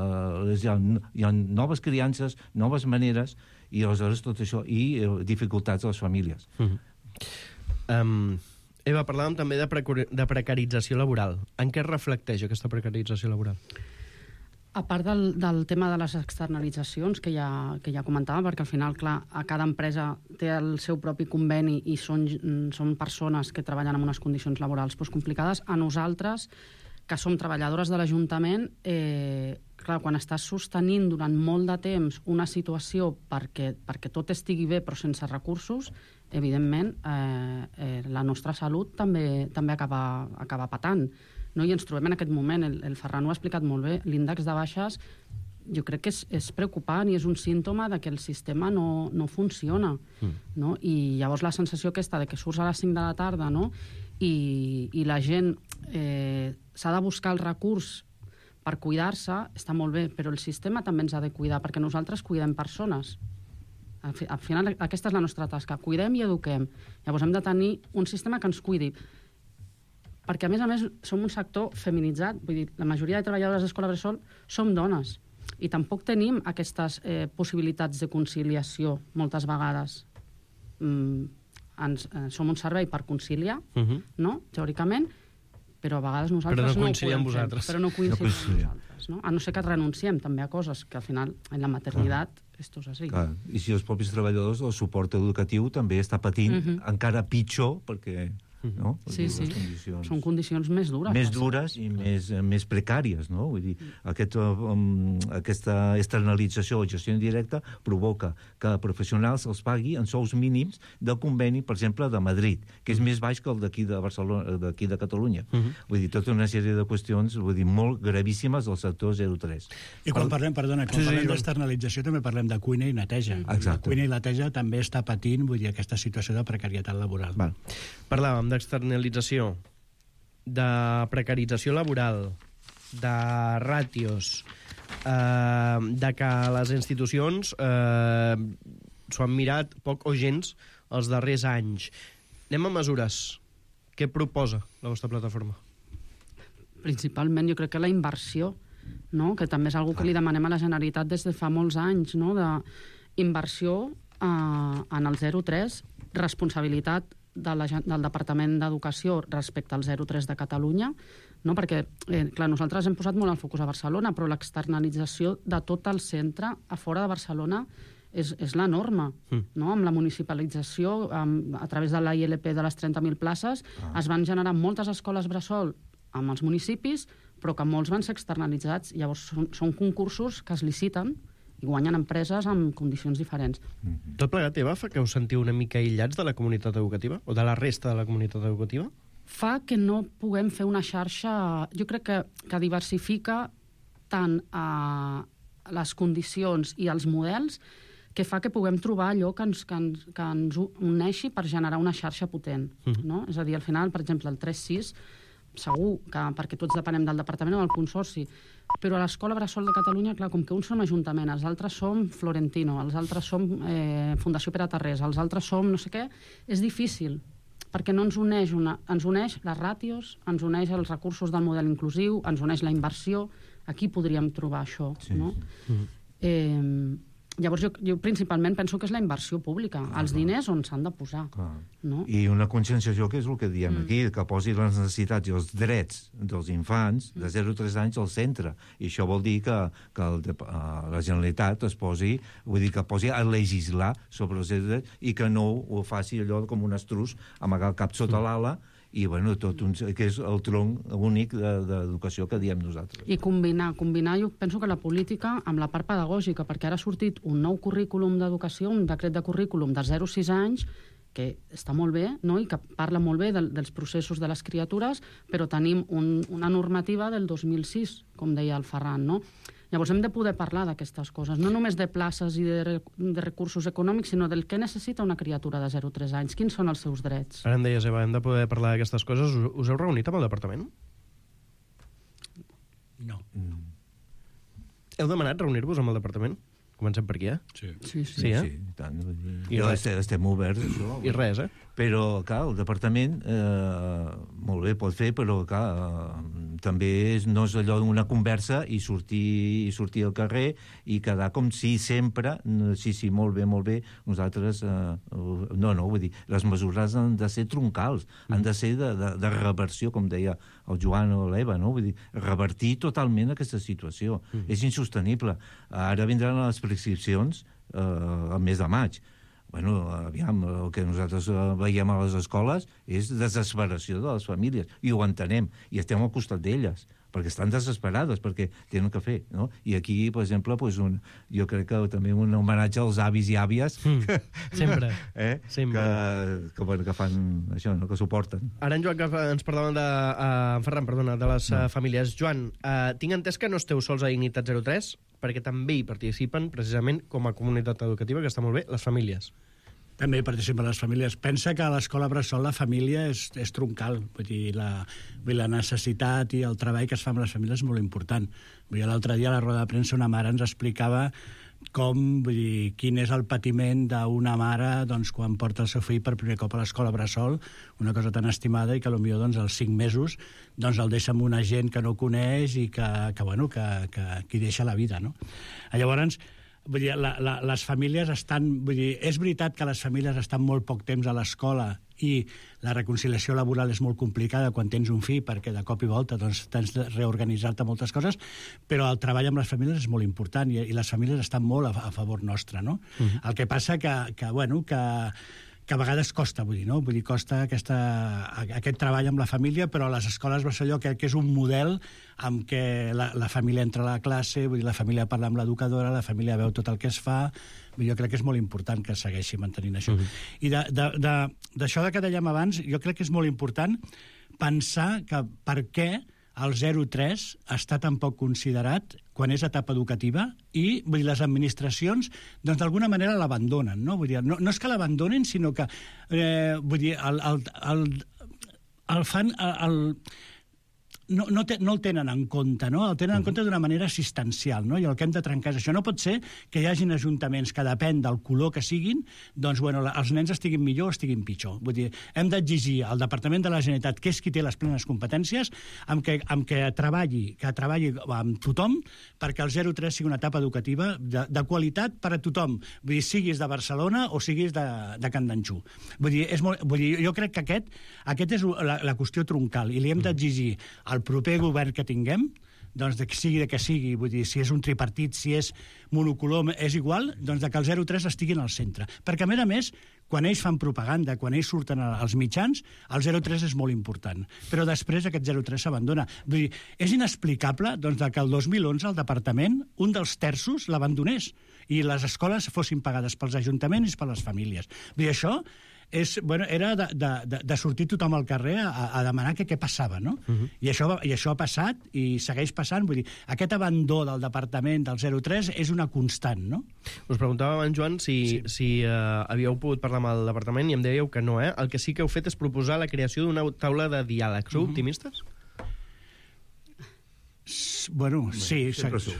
és, hi, ha, hi ha noves criances, noves maneres, i aleshores tot això, i eh, dificultats a les famílies. Mm-hmm. um, Eva, parlàvem també de, precar de precarització laboral. En què es reflecteix aquesta precarització laboral? A part del, del tema de les externalitzacions, que ja, que ja comentàvem, perquè al final, clar, a cada empresa té el seu propi conveni i són, són persones que treballen en unes condicions laborals doncs, complicades, a nosaltres, que som treballadores de l'Ajuntament, eh, clar, quan estàs sostenint durant molt de temps una situació perquè, perquè tot estigui bé però sense recursos, evidentment, eh, eh, la nostra salut també, també acaba, acaba patant. No? I ens trobem en aquest moment, el, el Ferran ho ha explicat molt bé, l'índex de baixes jo crec que és, és preocupant i és un símptoma de que el sistema no, no funciona. Mm. No? I llavors la sensació aquesta de que surts a les cinc de la tarda, no? I, i la gent eh, s'ha de buscar el recurs per cuidar-se, està molt bé, però el sistema també ens ha de cuidar, perquè nosaltres cuidem persones. Al, fi, al final aquesta és la nostra tasca, cuidem i eduquem. Llavors hem de tenir un sistema que ens cuidi, perquè a més a més som un sector feminitzat, vull dir, la majoria de treballadores d'Escola Bressol som dones i tampoc tenim aquestes eh, possibilitats de conciliació moltes vegades. Mm, ens, eh, som un servei per conciliar, uh-huh. no? Teòricament, però a vegades nosaltres però no, no ho podem vosaltres. fer. Però no coincidim no amb nosaltres. No? A no ser que renunciem també a coses que al final en la maternitat clar. Esto és així. Clar. I si els propis treballadors, el suport educatiu també està patint uh-huh. encara pitjor perquè... No? Sí, sí, condicions... són condicions més dures. Més dures i més, més precàries, no? Vull dir, aquest, um, aquesta externalització o gestió indirecta provoca que professionals els pagui en sous mínims del conveni, per exemple, de Madrid, que és més baix que el d'aquí de Barcelona, d'aquí de Catalunya. Uh -huh. Vull dir, tota una sèrie de qüestions, vull dir, molt gravíssimes del sector zero tres. I quan parlem, perdona, quan sí, parlem sí, d'externalització també parlem de cuina i neteja. Exacte. La cuina i la neteja també està patint, vull dir, aquesta situació de precarietat laboral. Val. Parlàvem d'externalització, de precarització laboral, de ràtios, eh, de que les institucions eh, s'ho han mirat poc o gens els darrers anys. Anem a mesures. Què proposa la vostra plataforma? Principalment, jo crec que la inversió, no? Que també és una cosa que li demanem a la Generalitat des de fa molts anys, no? D'inversió eh, en el zero tres, responsabilitat de la, del Departament d'Educació respecte al zero tres de Catalunya, no? Perquè, eh, clar, nosaltres hem posat molt el focus a Barcelona, però l'externalització de tot el centre a fora de Barcelona és, és la norma, mm. no? Amb la municipalització, amb, a través de la I L P de les trenta mil places, ah. es van generar moltes escoles bressol amb els municipis, però que molts van ser externalitzats. Llavors, són, són concursos que es liciten i guanyen empreses amb condicions diferents. Mm-hmm. Tot plegat, Eva, fa que us sentiu una mica aïllats de la comunitat educativa? O de la resta de la comunitat educativa? Fa que no puguem fer una xarxa, jo crec que, que diversifica tant a les condicions i els models, que fa que puguem trobar allò que ens, que ens, que ens uneixi per generar una xarxa potent. Mm-hmm. No? És a dir, al final, per exemple, el tres sis, segur que perquè tots depenem del departament o del consorci, però a l'Escola Bressol de Catalunya, clar, com que uns som Ajuntament, els altres som Florentino, els altres som eh, Fundació Pere Tarrés, els altres som no sé què, és difícil, perquè no ens uneix, una, ens uneix les ràtios, ens uneix els recursos del model inclusiu, ens uneix la inversió. Aquí podríem trobar això, sí, no? Sí. Mm. Eh, llavors, jo, jo principalment penso que és la inversió pública, ah, els diners on s'han de posar. No? I una conscienciació, que és el que diem mm. aquí, que posi les necessitats i els drets dels infants de zero a tres anys al centre. I això vol dir que, que el, uh, la Generalitat es posi, vull dir, que posi a legislar sobre els drets i que no ho faci allò com un estrus, amagar el cap sota mm. l'ala, i, bueno, tot un, que és el tronc únic d'educació que diem nosaltres. I combinar, combinar, jo penso que la política amb la part pedagògica, perquè ara ha sortit un nou currículum d'educació, un decret de currículum de zero a sis anys, que està molt bé, no? I que parla molt bé de, dels processos de les criatures, però tenim un, una normativa del dos mil sis, com deia el Ferran, no? Llavors hem de poder parlar d'aquestes coses, no només de places i de, de recursos econòmics, sinó del que necessita una criatura de zero a tres anys, quins són els seus drets. Ara em deies, Eva, hem de poder parlar d'aquestes coses. Us, us heu reunit amb el departament? No. Mm. Heu demanat reunir-vos amb el departament? Comencem per aquí, eh? Sí. Sí, sí. Sí, eh? Sí, i tant. I estem, estem oberts, això. I res, eh? Però, clar, el departament eh, molt bé pot fer, però, clar, eh, també és, no és allò d'una conversa i sortir, i sortir al carrer i quedar com si sempre, sí, sí, molt bé, molt bé, nosaltres, eh, no, no, vull dir, les mesures han de ser troncals, mm. han de ser de, de, de reversió, com deia el Joan o l'Eva, no? Vull dir, revertir totalment aquesta situació. Mm. És insostenible. Ara vindran les prescripcions eh, al mes de maig. Bueno, aviam, el que nosaltres veiem a les escoles és desesperació de les famílies, i ho entenem, i estem al costat d'elles, perquè estan desesperades, perquè tenen que fer, no? I aquí, per exemple, pues un, jo crec que també un homenatge als avis i àvies, mm, que, sempre, eh? sempre. Que, que, bueno, que fan això, no? Que suporten. Ara en Joan, que ens parlaven de... Uh, en Ferran, perdona, de les no. uh, famílies. Joan, uh, tinc entès que no esteu sols a Dignitat zero tres, perquè també hi participen, precisament, com a comunitat educativa, que està molt bé, les famílies. També participen les famílies. Pensa que a l'escola bressol la família és, és troncal. Vull dir, la, vull dir, la necessitat i el treball que es fa amb les famílies és molt important. Vull dir, l'altre dia a la roda de premsa una mare ens explicava com, vull dir, quin és el patiment d'una mare, doncs, quan porta el seu fill per primer cop a l'escola bressol, una cosa tan estimada, i que potser doncs, als cinc mesos doncs, el deixa amb una gent que no coneix i que, que, bueno, que, que, que hi deixa la vida, no? Llavors, vull dir, la, la, les famílies estan... Vull dir, és veritat que les famílies estan molt poc temps a l'escola i la reconciliació laboral és molt complicada quan tens un fill, perquè de cop i volta doncs, tens de reorganitzar-te moltes coses, però el treball amb les famílies és molt important i, i les famílies estan molt a, a favor nostre, no? Uh-huh. El que passa que, que, bueno, que que a vegades costa, vull dir, no? Vull dir, costa aquesta, aquest treball amb la família, però a les escoles Barcelona crec que és un model amb què la, la família entra a la classe, vull dir, la família parla amb l'educadora, la família veu tot el que es fa, vull dir, jo crec que és molt important que segueixi mantenint això. Uh-huh. I d'això de, de, de que dèiem abans, jo crec que és molt important pensar que per què el zero tres està tan poc considerat quan és etapa educativa i vull dir, les administracions doncs d'alguna manera l'abandonen, no? Vull dir, no, no és que l'abandonen, sinó que eh, vull dir, el, el, el, el fan... El, el, no, no, te, no el tenen en compte, no? El tenen en compte d'una manera assistencial, no? I el que hem de trencar és això. No pot ser que hi hagin ajuntaments que depèn del color que siguin, doncs, bueno, els nens estiguin millor o estiguin pitjor. Vull dir, hem d'exigir al Departament de la Generalitat, que és qui té les plenes competències, amb que, amb que treballi, que treballi amb tothom perquè el zero tres sigui una etapa educativa de, de qualitat per a tothom. Vull dir, siguis de Barcelona o siguis de, de Can d'Anxú. Vull dir, és molt, vull dir, jo crec que aquest, aquest és la, la qüestió troncal i li hem d'exigir el proper govern que tinguem, doncs de que sigui de que sigui, vull dir, si és un tripartit, si és monocolor, és igual, doncs de que el zero tres estiguin al centre. Perquè, a més a més, quan ells fan propaganda, quan ells surten als mitjans, el zero tres és molt important. Però després aquest zero tres s'abandona. Vull dir, és inexplicable doncs, que el dos mil onze el departament, un dels terços, l'abandonés i les escoles fossin pagades pels ajuntaments i per les famílies. Vull dir, això és, bueno, era de, de, de sortir tothom al carrer a, a demanar que què passava, no? Uh-huh. I, això, I això ha passat i segueix passant. Vull dir, aquest abandó del departament del zero tres és una constant, no? Us preguntava abans, Joan, si, sí. si uh, havíeu pogut parlar amb el departament i em dèieu que no, eh? El que sí que heu fet és proposar la creació d'una taula de diàleg. Sou uh-huh. optimistes? Bueno, sí. Sempre som.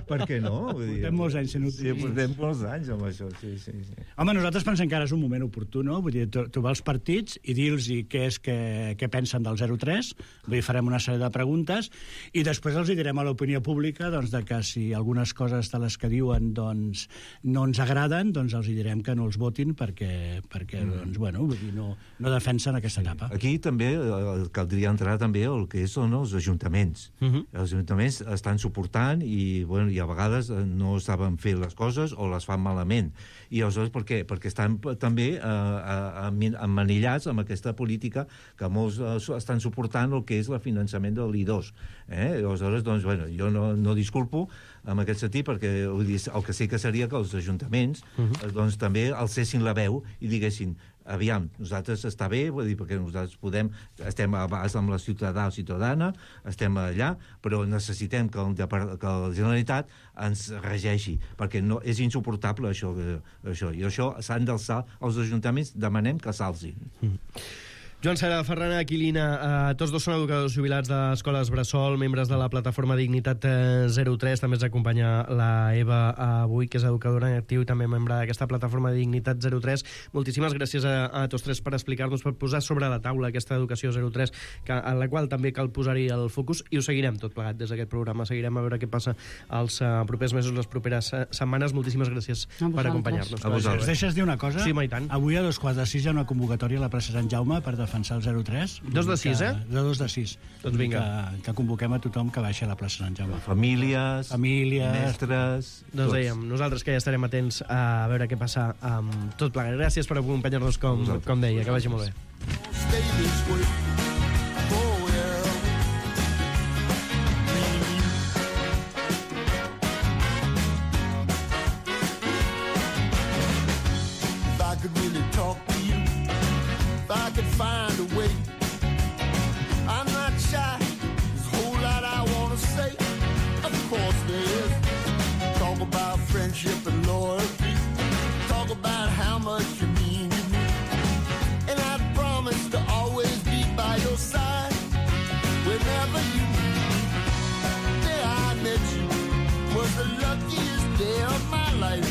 Per què no? Vull dir, portem molts anys sent sí, portem molts anys amb això, sí, sí, sí. Home, nosaltres pensem que ara és un moment oportú, no? Vull dir, trobar els partits i dir-los què és que, què pensen del zero tres, vull dir, farem una sèrie de preguntes i després els direm a l'opinió pública doncs, de que si algunes coses de les que diuen doncs, no ens agraden, doncs els direm que no els votin perquè, perquè mm. doncs, bueno, vull dir, no, no defensen aquesta sí. etapa. Aquí també eh, caldria entrar també el que són els ajuntaments. Uh-huh. Els ajuntaments estan suportant i, bueno, i a vegades no saben fer les coses o les fan malament. I aleshores per què? Perquè estan també eh, emmanillats amb aquesta política que molts eh, estan suportant el que és el finançament de l'I dos. Eh? Aleshores, doncs, bueno, jo no, no disculpo en aquest sentit perquè el que sí que seria que els ajuntaments uh-huh. doncs, també alcessin la veu i diguessin aviam, nosaltres està bé, vull dir, perquè nosaltres podem, estem a base amb la ciutadà o ciutadana, estem allà, però necessitem que, el, que la Generalitat ens regeixi, perquè no, és insuportable això, això. I això s'han d'alçar, els ajuntaments demanem que s'alcin. Mm. Joan Sera, Ferran Aquilina, eh, tots dos són educadors jubilats d'escoles Bressol, membres de la plataforma Dignitat zero tres, també ens acompanya la Eva avui, que és educadora en actiu i també membre d'aquesta plataforma Dignitat zero tres. Moltíssimes gràcies a, a tots tres per explicar-nos, per posar sobre la taula aquesta educació zero tres, que, en la qual també cal posar-hi el focus, i ho seguirem tot plegat des d'aquest programa. Seguirem a veure què passa els uh, propers mesos, les properes uh, setmanes. Moltíssimes gràcies per acompanyar-nos. A vosaltres. Ens deixes dir una cosa? Sí, i tant. Avui a dos quarts de sis hi ha una convocatòria a la plaça Sant Jaume per defensar el zero tres. Dos de sis, eh? De dos de sis. Doncs vinga. Que, que convoquem a tothom que baixi a la plaça Sant Jaume. Famílies, Famílies mestres... Doncs dèiem, nosaltres que ja estarem atents a veure què passa amb tot plegat. Gràcies per acompanyar-nos, com, com deia, que vagi molt bé. I could find a way. I'm not shy. There's a whole lot I want to say. Of course there is. Talk about friendship and loyalty. Talk about how much you mean to me. And I promise to always be by your side whenever you need me. The day I met you was the luckiest day of my life.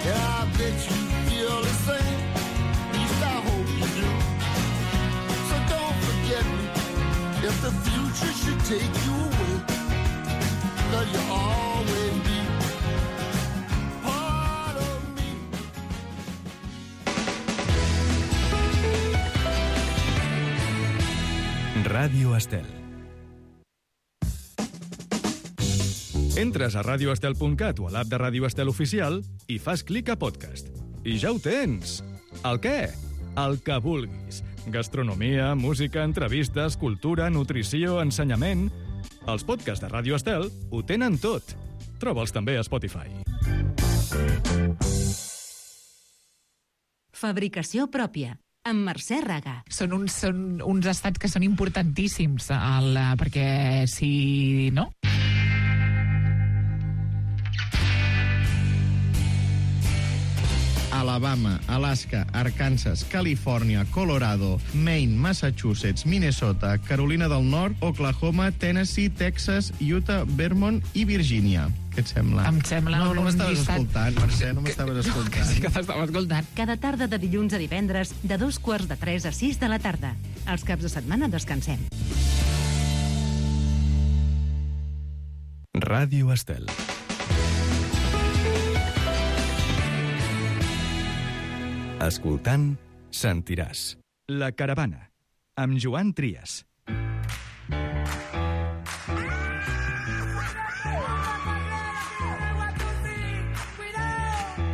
And I bet you feel the same. I hope you do. So don't forget me if the future should take you away. Cause you'll always be part of me. Ràdio Estel. Entres a radio estel punt cat o a l'app de Ràdio Estel Oficial i fas clic a podcast. I ja ho tens! El què? El que vulguis. Gastronomia, música, entrevistes, cultura, nutrició, ensenyament... Els podcasts de Ràdio Estel ho tenen tot. Troba'ls també a Spotify. Fabricació pròpia, amb Mercè Raga. Són uns, són uns estats que són importantíssims, el, perquè si... no? Alabama, Alaska, Arkansas, Califòrnia, Colorado, Maine, Massachusetts, Minnesota, Carolina del Nord, Oklahoma, Tennessee, Texas, Utah, Vermont i Virgínia. Què et sembla? Em sembla no, no un m'estaves llistat... escoltant, Mercè, no m'estaves escoltant. No, sí que t'estava escoltant. Cada tarda de dilluns a divendres, de dos quarts de tres a sis de la tarda. Els caps de setmana descansem. Ràdio Estel. Escoltant, sentiràs. La caravana. amb Joan Trias.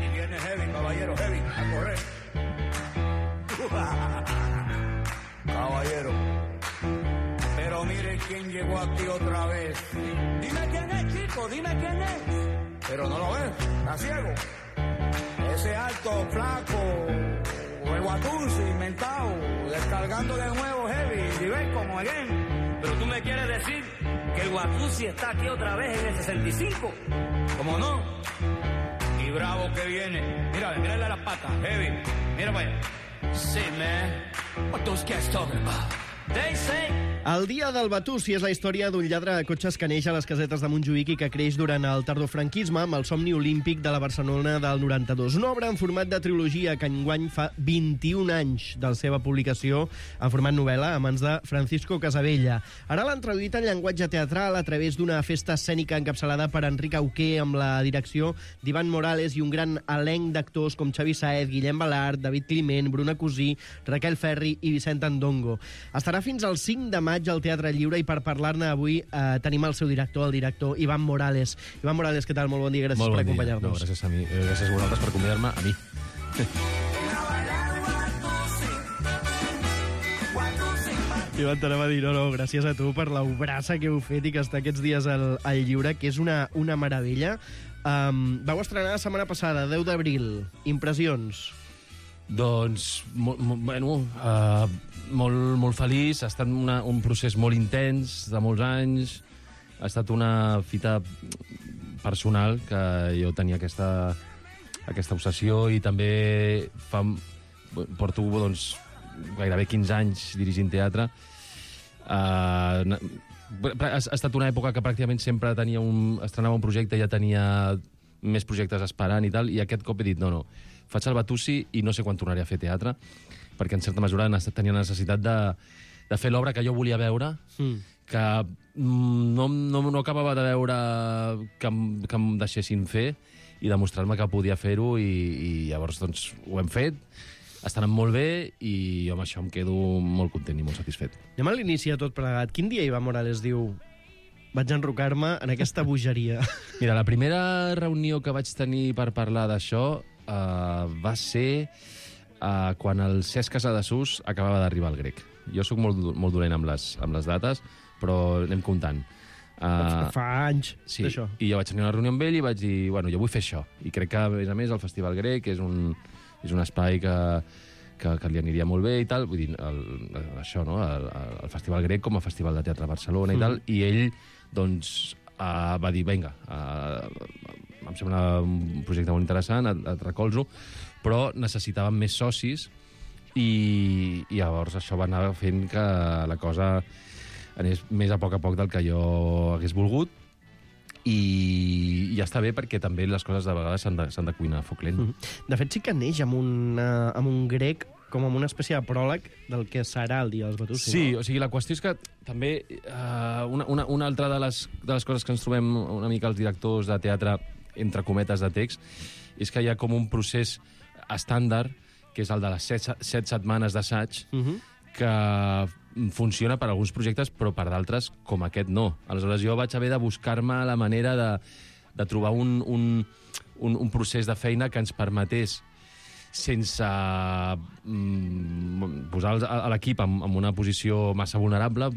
Y viene heavy, caballero, heavy, a correr. Caballero. Pero mire quién llegó aquí otra vez. Dime quién es, chico, dime quién es. Pero no lo ves, está ciego. Ese alto, flaco, o el guatuzo inventado, descargando de nuevo heavy, y ven como again. Pero tú me quieres decir que el Guatusi está aquí otra vez en el sesenta y cinco. ¿Cómo no? Y bravo que viene. Mira, mírale las patas, heavy. Mira para allá. Sí, man. What those cats talking about? They say... El dia del Batusi és la història d'un lladre de cotxes que neix a les casetes de Montjuïc i que creix durant el tardofranquisme amb el somni olímpic de la Barcelona del noranta-dos. Una obra en format de trilogia que enguany fa vint-i-un anys de la seva publicació en format novel·la a mans de Francisco Casabella. Ara l'han traduït en llenguatge teatral a través d'una festa escènica encapçalada per Enric Auqué amb la direcció d'Ivan Morales i un gran elenc d'actors com Xavi Saez, Guillem Balart, David Climent, Bruna Cosí, Raquel Ferri i Vicent Andongo. Estarà fins al cinc de maig al Teatre Lliure i per parlar-ne avui eh, tenim el seu director, el director Ivan Morales. Ivan Morales, què tal? Molt bon dia, gràcies Molt bon per acompanyar-nos. No, gràcies a mi, eh, gràcies a vosaltres per convidar-me a mi. Ivan, t'anava a dir, no, no, gràcies a tu per l'obrassa que heu fet i que està aquests dies al, al Lliure, que és una, una meravella. Um, vau estrenar la setmana passada, deu d'abril. Impressions? Doncs, mo, mo, bueno, uh, molt, molt feliç. Ha estat una, un procés molt intens, de molts anys. Ha estat una fita personal, que jo tenia aquesta, aquesta obsessió i també fa, porto doncs, gairebé quinze anys dirigint teatre. Uh, ha, ha estat una època que pràcticament sempre tenia un, estrenava un projecte i ja tenia més projectes esperant i tal, i aquest cop he dit, no, no, faig el Batusi i no sé quan tornaré a fer teatre, perquè en certa mesura tenia necessitat de, de fer l'obra que jo volia veure, mm. que no, no, no acabava de veure que, que em deixessin fer i demostrar-me que podia fer-ho, i, i llavors doncs, ho hem fet, està anant molt bé i jo amb això em quedo molt content i molt satisfet. Anem a l'inici de tot plegat. Quin dia Ivan Morales diu vaig enrocar-me en aquesta bogeria? Mira, la primera reunió que vaig tenir per parlar d'això Uh, va ser uh, quan el Cesc Casadesús acabava d'arribar al Grec. Jo sóc molt, molt dolent amb les, amb les dates, però anem comptant. Uh, fa anys sí, d'això. I jo vaig tenir una reunió amb ell i vaig dir, bueno, jo vull fer això. I crec que, a més a més, el Festival Grec és un, és un espai que, que, que li aniria molt bé i tal. Vull dir, el, això, no? El, el Festival Grec com a Festival de Teatre a Barcelona mm. i tal. I ell, doncs, uh, va dir, vinga, uh, em sembla un projecte molt interessant, et, et recolzo, però necessitàvem més socis i, i llavors això va anar fent que la cosa anés més a poc a poc del que jo hagués volgut, i ja està bé perquè també les coses de vegades s'han de, s'han de cuinar a foc lent. De fet, sí que neix amb un, uh, amb un grec com amb una espècie de pròleg del que serà el dia dels Batusi. Sí, no? O sigui, la qüestió és que també uh, una, una, una altra de les, de les coses que ens trobem una mica els directors de teatre, entre cometes de text, és que hi ha com un procés estàndard, que és el de les set, set setmanes d'assaig, uh -huh. que funciona per a alguns projectes, però per d'altres, com aquest, no. Aleshores, jo vaig haver de buscar-me la manera de, de trobar un, un, un, un procés de feina que ens permetés, sense mm, posar a l'equip en, en una posició massa vulnerable,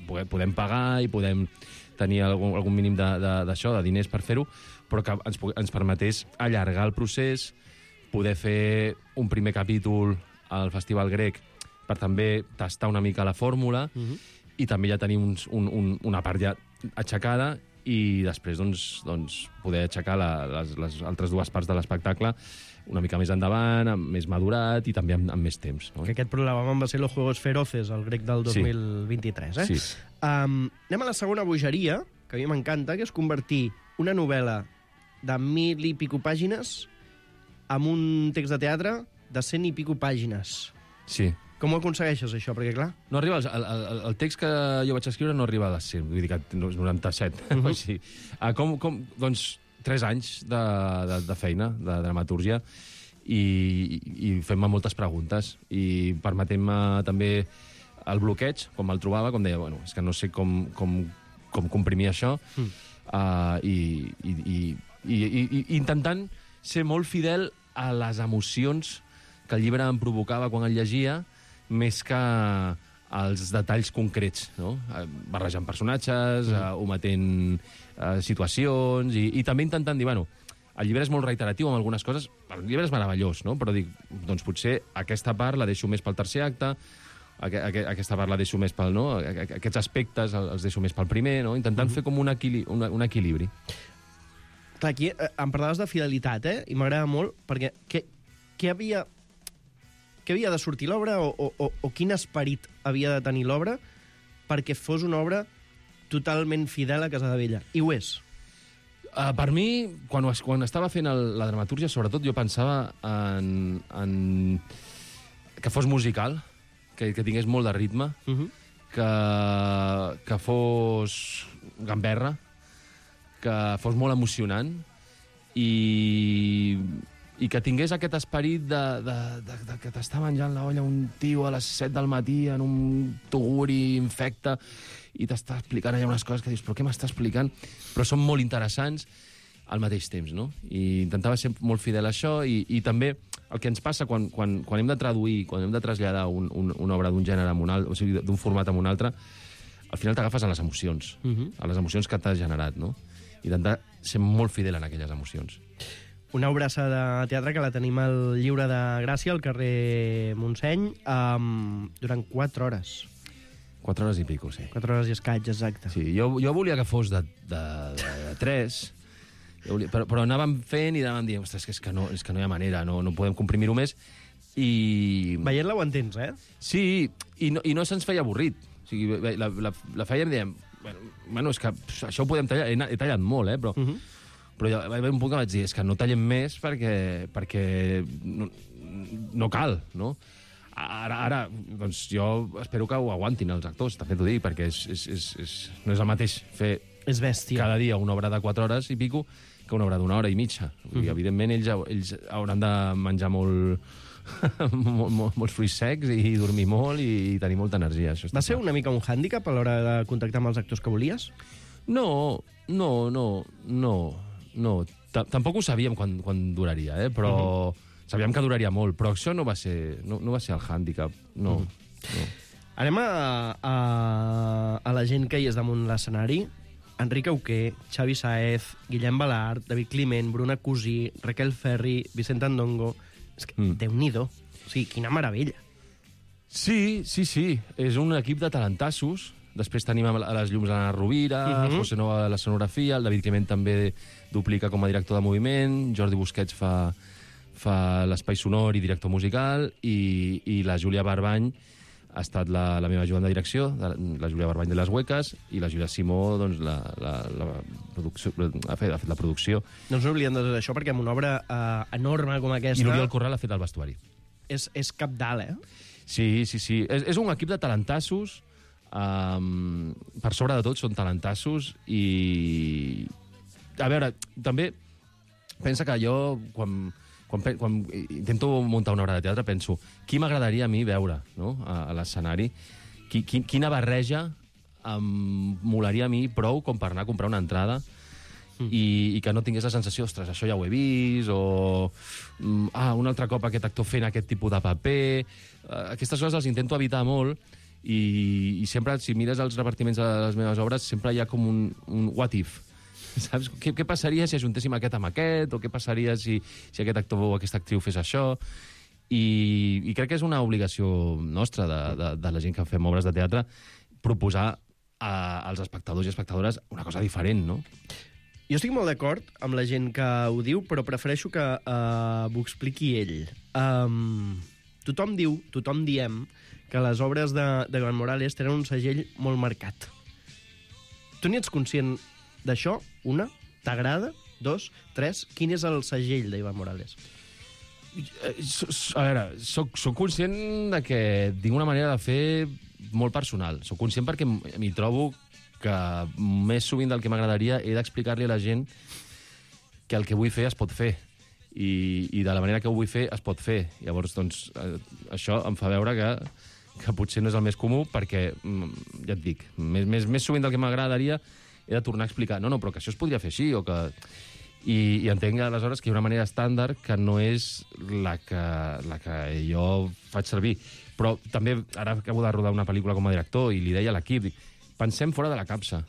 podem pagar i podem tenir algun, algun mínim d'això, de, de, de diners per fer-ho, però que ens, ens permetés allargar el procés, poder fer un primer capítol al Festival Grec per també tastar una mica la fórmula, uh-huh. i també ja tenir uns, un, un, una part ja aixecada, i després doncs, doncs, poder aixecar la, les, les altres dues parts de l'espectacle una mica més endavant, més madurat i també amb, amb més temps. No? Que aquest programa va ser Los Juegos Feroces, el Grec del dos mil vint-i-tres. Eh? Sí. Um, anem a la segona bogeria, que a mi m'encanta, que és convertir una novel·la de mil i pico pàgines amb un text de teatre de cent i pico pàgines. Sí. Com ho aconsegueixes, això? Perquè, clar... No arriba, el, el, el text que jo vaig escriure no arriba a les cent, vull dir que és noranta-set. Uh-huh. O sigui, ah, com, com, doncs, tres anys de, de, de feina, de dramatúrgia, i, i fem-me moltes preguntes, i permetem-me també el bloqueig, quan me'l trobava, com deia, bueno, és que no sé com, com, com comprimir això, mm. uh, i, i, i, i, i, i intentant ser molt fidel a les emocions que el llibre em provocava quan el llegia, més que als detalls concrets, no? Barrejant personatges, mm. uh, ometent uh, situacions, i, i també intentant dir, bueno, el llibre és molt reiteratiu amb algunes coses, el llibre és meravellós, no? Però dic, doncs potser aquesta part la deixo més pel tercer acte, aqu aqu aquesta part la deixo més pel, no? Aquests aspectes els deixo més pel primer, no? Intentant mm. fer com un, equili un, un equilibri. Clar, aquí eh, em parlaves de fidelitat, eh? I m'agrada molt, perquè què, què havia... Què havia de sortir l'obra o, o, o, o quin esperit havia de tenir l'obra perquè fos una obra totalment fidel a Casadevella? I ho és. Uh, per mi, quan, quan estava fent el, la dramatúrgia, sobretot jo pensava en, en que fos musical, que, que tingués molt de ritme, uh -huh. que, que fos gamberra, que fos molt emocionant i... i que tingués aquest esperit de, de, de, de que t'està menjant la olla un tio a les set del matí en un tuguri infecte i t'està explicant allà unes coses que dius, però què m'està explicant? Però són molt interessants al mateix temps, no? I intentava ser molt fidel a això i, i també el que ens passa quan, quan, quan hem de traduir, quan hem de traslladar un, un, una obra d'un gènere a un altre, o sigui, d'un format a un altre, al final t'agafes a les emocions, uh -huh. a les emocions que t'has generat, no? I intentar ser molt fidel en aquelles emocions. Una obra de teatre que la tenim al Lliure de Gràcia, al carrer Montseny, um, durant quatre hores. Quatre hores i pico, sí. Quatre hores i escaig, exacte. Sí, jo, jo volia que fos de, de, de, de tres, volia, però, però anàvem fent i anàvem dient, ostres, és que no, és que no hi ha manera, no, no podem comprimir-ho més. I... Veient-la ho entens, eh? Sí, i no, i no se'ns feia avorrit. O sigui, la, la, la fèiem i dèiem, bueno, bueno, és que això ho podem tallar, he, he tallat molt, eh, però... Uh -huh. Però ja va haver un punt que vaig dir, és que no tallem més perquè, perquè no, no cal, no? Ara, ara, doncs jo espero que ho aguantin els actors, també t'ho dic, perquè és, és, és, és, no és el mateix fer és bèstia. Cada dia una obra de quatre hores i pico que una obra d'una hora i mitja. Mm. I, evidentment, ells, ells hauran de menjar molt, molt, molt, molts fruits secs i dormir molt i, i tenir molta energia. Això va ser una mica un hàndicap a l'hora de contactar amb els actors que volies? No, no, no, no. No, tampoc ho sabíem quan, quan duraria, eh? Però uh -huh. sabíem que duraria molt, però això no va ser, no, no va ser el hàndicap, no. Uh -huh. no. Anem a, a, a la gent que hi és damunt l'escenari. Enric Auqué, Xavi Saez, Guillem Balart, David Climent, Bruna Cusí, Raquel Ferri, Vicent Andongo... És que, mm. Déu-n'hi-do. O sigui, quina meravella. Sí, sí, sí. És un equip de talentassos. Després tenim a les llums l'Anna Rovira, uh -huh. José Nova a la sonografia, el David Climent també duplica com a director de moviment, Jordi Busquets fa, fa l'espai sonor i director musical, i, i la Júlia Barbany ha estat la, la meva ajudant de direcció, la Júlia Barbany de Les Hueques, i la Júlia Simó doncs, la, la, la producció, ha, fet, ha fet la producció. No ens oblidem de tot això, perquè amb una obra uh, enorme com aquesta... I l'Oriol Corral ha fet el vestuari. És, és capdalt, eh? Sí, sí, sí. És, és un equip de talentassos. Um, per sobre de tot són talentassos i... A veure, també pensa que jo, quan, quan, quan intento muntar una obra de teatre, penso, qui m'agradaria a mi veure, no?, a, a l'escenari? Qui, qui, quina barreja em molaria a mi prou com per anar a comprar una entrada mm. i, i que no tingués la sensació, ostres, això ja ho he vist, o ah, un altre cop aquest actor fent aquest tipus de paper. Aquestes coses les intento evitar molt. I, i sempre, si mires els repartiments de les meves obres, sempre hi ha com un, un what if. Saps? Què, què passaria si ajuntéssim aquest amb aquest? O què passaria si, si aquest actor o aquesta actriu fes això? I, i crec que és una obligació nostra, de, de, de la gent que fem obres de teatre, proposar a, als espectadors i espectadores una cosa diferent, no? Jo estic molt d'acord amb la gent que ho diu, però prefereixo que uh, m'ho expliqui ell. Um, tothom diu, tothom diem, que les obres de, de Joan Morales tenen un segell molt marcat. Tu n'hi ets conscient d'això? Una? T'agrada? Dos? Tres? Quin és el segell d'Ivan Morales? A veure, soc, soc conscient de que tinc una manera de fer molt personal. Soc conscient perquè m'hi trobo que més sovint del que m'agradaria he d'explicar-li a la gent que el que vull fer es pot fer. I, i de la manera que ho vull fer es pot fer. Llavors, doncs, eh, això em fa veure que que potser no és el més comú, perquè, ja et dic, més, més, més sovint del que m'agradaria he de tornar a explicar, no, no, però que això es podria fer així, o que... I, i entenc aleshores que hi ha una manera estàndard que no és la que, la que jo faig servir. Però també, ara acabo de rodar una pel·lícula com a director i li deia a l'equip, pensem fora de la capsa.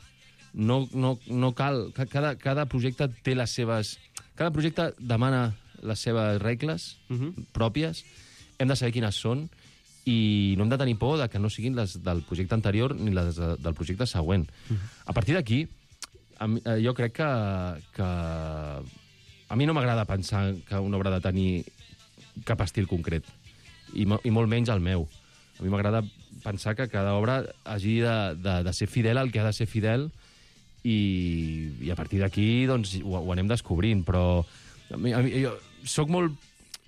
No, no, no cal... Cada, cada projecte té les seves... Cada projecte demana les seves regles uh-huh. pròpies, hem de saber quines són, i no hem de tenir por de que no siguin les del projecte anterior ni les del projecte següent. Uh-huh. A partir d'aquí, jo crec que, que... A mi no m'agrada pensar que una obra ha de tenir cap estil concret, i, i molt menys el meu. A mi m'agrada pensar que cada obra hagi de, de, de ser fidel al que ha de ser fidel, i, i a partir d'aquí doncs, ho, ho anem descobrint, però a mi, a mi, jo soc molt...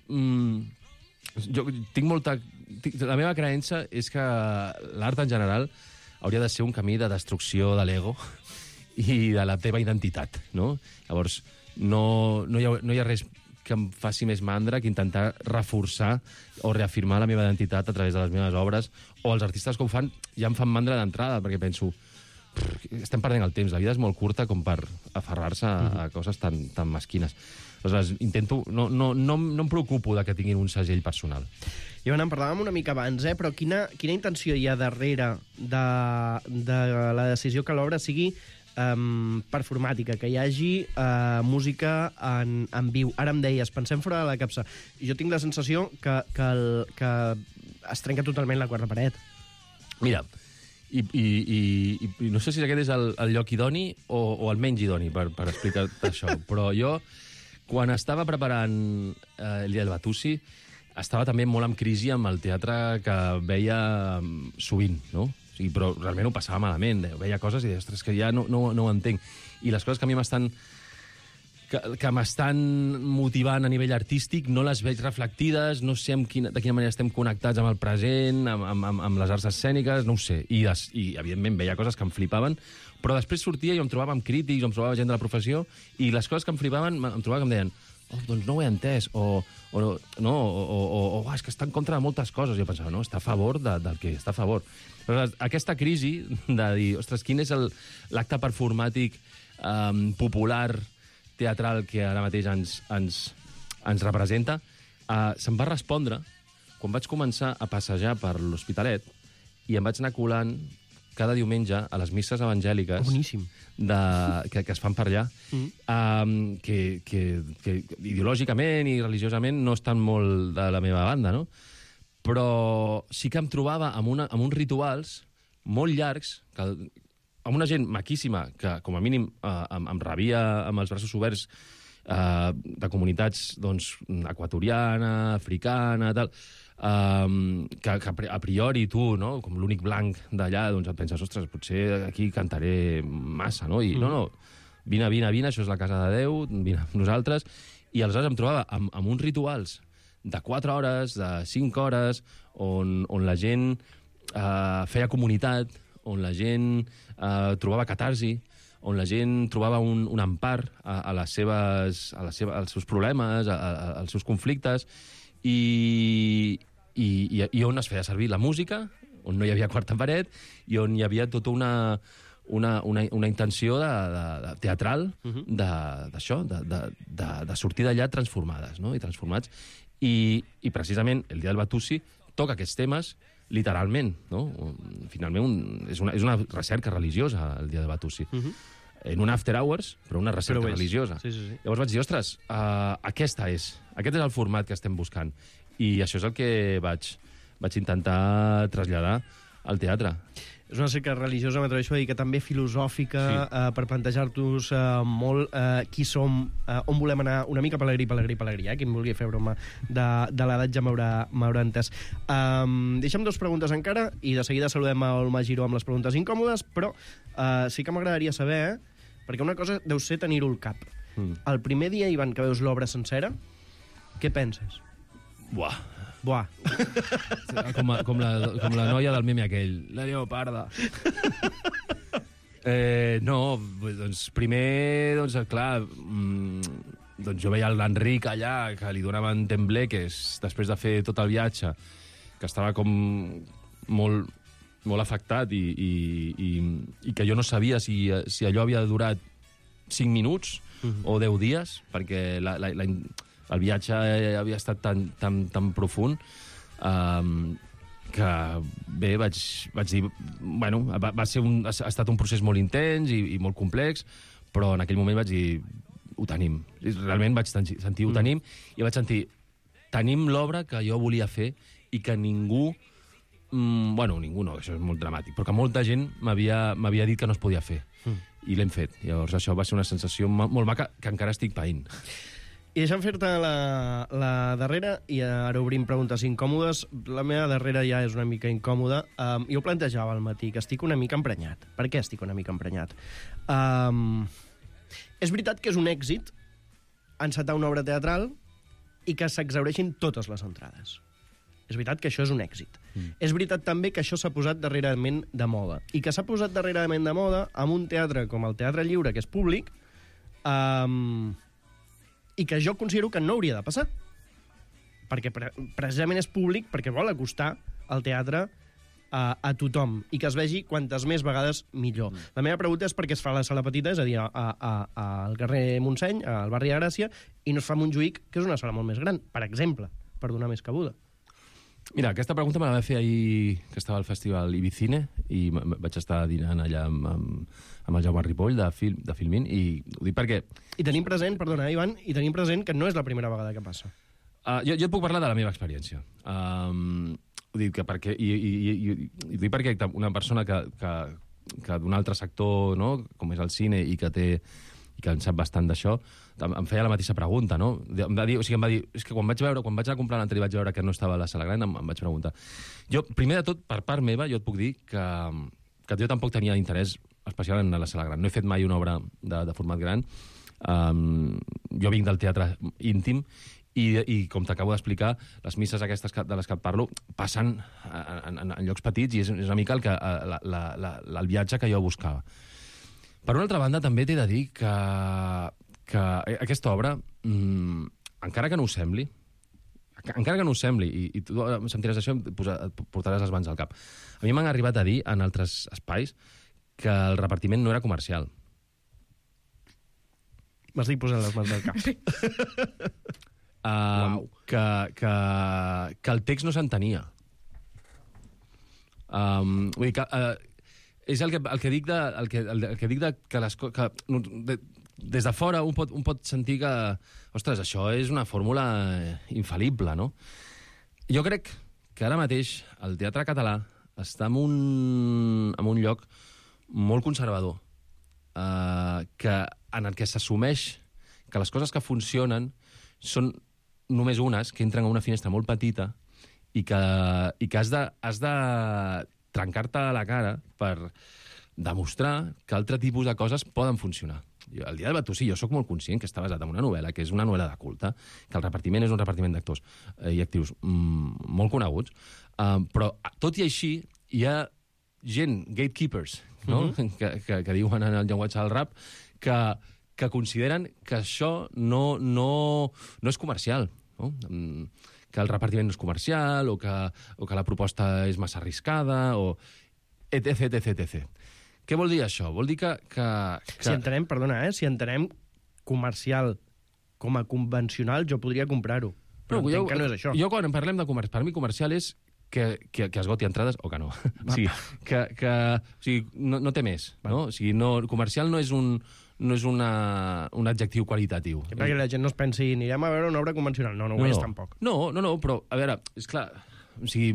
Mm, jo tinc molta... Tinc, la meva creença és que l'art en general hauria de ser un camí de destrucció de l'ego i de la teva identitat, no? Llavors, no, no, hi ha, no hi ha res que em faci més mandra que intentar reforçar o reafirmar la meva identitat a través de les meves obres, o els artistes que ho fan ja em fan mandra d'entrada, perquè penso, estem perdent el temps, la vida és molt curta com per aferrar-se a, a coses tan, tan mesquines. Aleshores, intento... No, no, no, no em preocupo de que tinguin un segell personal. I en parlàvem una mica abans, eh? Però quina, quina intenció hi ha darrere de, de la decisió que l'obra sigui um, performàtica, que hi hagi uh, música en, en viu? Ara em deies, pensem fora de la capsa. Jo tinc la sensació que, que, el, que es trenca totalment la quarta paret. Mira, i, i, i, i no sé si aquest és el, el lloc idoni o, o el menys idoni per, per explicar això, però jo, quan estava preparant eh, el Dia del Batusi, estava també molt en crisi amb el teatre que veia sovint, no? O sigui, però realment ho passava malament. Veia coses i deia, ostres, que ja no, no, no ho entenc. I les coses que a mi m'estan que, que m'estan motivant a nivell artístic no les veig reflectides, no sé amb quina, de quina manera estem connectats amb el present, amb, amb, amb les arts escèniques, no ho sé. I, des, I, evidentment, veia coses que em flipaven, però després sortia i em trobava amb crítics, em trobava gent de la professió, i les coses que em flipaven em trobava que em deien, oh, doncs no ho he entès, o, o, no, o, o, o oh, és que està en contra de moltes coses. Jo pensava, no, està a favor de, del que està a favor. Però aquesta crisi de dir, ostres, quin és l'acte performàtic um, popular, teatral, que ara mateix ens, ens, ens representa, uh, se'm va respondre quan vaig començar a passejar per l'Hospitalet i em vaig anar colant cada diumenge a les misses evangèliques de, que, que es fan per allà, mm. um, que, que, que ideològicament i religiosament no estan molt de la meva banda, no? Però sí que em trobava amb, una, amb uns rituals molt llargs, que, amb una gent maquíssima, que com a mínim uh, em, em rebia amb els braços oberts, uh, de comunitats doncs, equatoriana, africana, tal, Um, que, que a priori tu, no, com l'únic blanc d'allà, doncs et penses, ostres, potser aquí cantaré massa, no? I mm. no, no, vine, vine, vine, això és la casa de Déu, vine amb nosaltres. I aleshores em trobava amb, amb uns rituals de quatre hores, de cinc hores, on, on la gent uh, feia comunitat, on la gent uh, trobava catarsi, on la gent trobava un, un empar a, a les seves, a les seves, als seus problemes, a, a, als seus conflictes, I, i, i on es feia servir la música, on no hi havia quarta paret, i on hi havia tota una, una, una, una intenció de, de, de teatral d'això, de, de, de, de sortir d'allà transformades, no? I transformats. I, I precisament el Dia del Batusi toca aquests temes literalment, no? Finalment un, és, una, és una recerca religiosa el Dia del Batusi. Uh -huh. En un after hours, però una recerca però religiosa. Sí, sí, sí. Llavors vaig dir, ostres, uh, aquesta és, aquest és el format que estem buscant. I això és el que vaig, vaig intentar traslladar al teatre. És una recerca religiosa, m'atreveixo a dir, que també filosòfica, sí. uh, per plantejar-nos uh, molt uh, qui som, uh, on volem anar, una mica pelegrí, pelegrí, pelegrí, eh? Qui em vulgui fer broma de, de l'edat ja m'haurà entès. Um, deixem dues preguntes encara, i de seguida saludem el Magiro amb les preguntes incòmodes, però uh, sí que m'agradaria saber, eh? Perquè una cosa deu ser tenir-ho al cap. Mm. El primer dia, Ivan, que veus l'obra sencera, què penses? Buah. Buah. Com, a, com, la, com la noia del meme aquell. La lleoparda. eh, no, doncs primer, doncs clar, mmm, doncs jo veia l'Enric allà, que li donaven tembleques després de fer tot el viatge, que estava com molt, molt afectat i, i, i, i que jo no sabia si, si allò havia durat cinc minuts uh-huh. o deu dies, perquè la, la, la, el viatge havia estat tan, tan, tan profund um, que bé, vaig, vaig dir... Bueno, va, va ser un, ha estat un procés molt intens i, i molt complex, però en aquell moment vaig dir, ho tenim. Realment vaig sentir, ho tenim, mm. i vaig sentir, tenim l'obra que jo volia fer i que ningú, mm, bueno, ningú no, això és molt dramàtic, però que molta gent m'havia dit que no es podia fer. Mm. I l'hem fet. Llavors això va ser una sensació molt maca que encara estic païnt. I deixa'm fer-te la, la darrera, i ara obrim preguntes incòmodes. La meva darrera ja és una mica incòmoda. Um, jo plantejava al matí que estic una mica emprenyat. Per què estic una mica emprenyat? Um, és veritat que és un èxit encetar una obra teatral i que s'exhaureixin totes les entrades. És veritat que això és un èxit. Mm. És veritat també que això s'ha posat darrerament de moda. I que s'ha posat darrerament de moda amb un teatre com el Teatre Lliure, que és públic, um, i que jo considero que no hauria de passar. Perquè pre precisament és públic, perquè vol acostar el teatre a, a tothom, i que es vegi quantes més vegades millor. Mm. La meva pregunta és per què es fa a la sala petita, és a dir, a, a, a, al carrer Montseny, al barri de Gràcia, i no es fa a Montjuïc, que és una sala molt més gran, per exemple, per donar més cabuda. Mira, aquesta pregunta me la vaig fer ahir, que estava al festival Ibicine, i vaig estar dinant allà amb, amb, amb el Jaume Ripoll, de, Film, de Filmin, i ho dic perquè... I tenim present, perdona, Ivan, i tenim present que no és la primera vegada que passa. Uh, jo, jo et puc parlar de la meva experiència. Um, ho dic que perquè... I, i, i, i, i ho dic perquè una persona que, que, que d'un altre sector, no?, com és el cine, i que té... i que en sap bastant d'això, em feia la mateixa pregunta, no? Em va dir, o sigui, em va dir, és que quan vaig veure, quan vaig anar a comprar l'entrada i vaig veure que no estava a la sala gran, em, em vaig preguntar. Jo, primer de tot, per part meva, jo et puc dir que, que jo tampoc tenia interès especial en la sala gran. No he fet mai una obra de, de format gran. Um, jo vinc del teatre íntim, i, i com t'acabo d'explicar, les misses aquestes que, de les que et parlo passen en, en, en llocs petits, i és, és una mica el, que, la, la, la, el viatge que jo buscava. Per una altra banda, també t'he de dir que, que aquesta obra, mmm, encara que no ho sembli, encara que no ho sembli, i, i tu em sentiràs això, et, posa, et portaràs les mans al cap. A mi m'han arribat a dir, en altres espais, que el repartiment no era comercial. M'estic posant les mans al cap. uh, wow. que, que, que el text no s'entenia. Um, vull dir que... Uh, és el que, el que dic de, el que, el, el que, dic de que, les, que de, des de fora un pot, un pot sentir que, ostres, això és una fórmula infal·lible, no? Jo crec que ara mateix el teatre català està en un, en un lloc molt conservador, eh, que, en el que s'assumeix que les coses que funcionen són només unes, que entren a una finestra molt petita, i que, i que has de... Has de trencar-te a la cara per demostrar que altre tipus de coses poden funcionar. Jo, el dia del Batussí, jo sóc molt conscient que està basat en una novel·la, que és una novel·la de culte, que el repartiment és un repartiment d'actors eh, i actius mm, molt coneguts, eh, però tot i així hi ha gent, gatekeepers, no? Mm-hmm. que, que, que diuen en el llenguatge del rap, que, que consideren que això no, no, no és comercial, no? Mm, que el repartiment no és comercial, o que, o que la proposta és massa arriscada, o etc, etc, etc. Què vol dir això? Vol dir que... que, que... Si entenem, perdona, eh? Si entenem comercial com a convencional, jo podria comprar-ho. Però no, entenc jo, que no és això. Jo, quan parlem de comerç, per mi comercial és que, que, que esgoti entrades o que no. O sigui, que, que, o sigui, no, no té més. No? O sigui, no, comercial no és un... no és una, un adjectiu qualitatiu. Que perquè la gent no es pensi, anirem a veure una obra convencional. No, no ho no, és, no. tampoc. No, no, no, però, a veure, és clar, o sigui,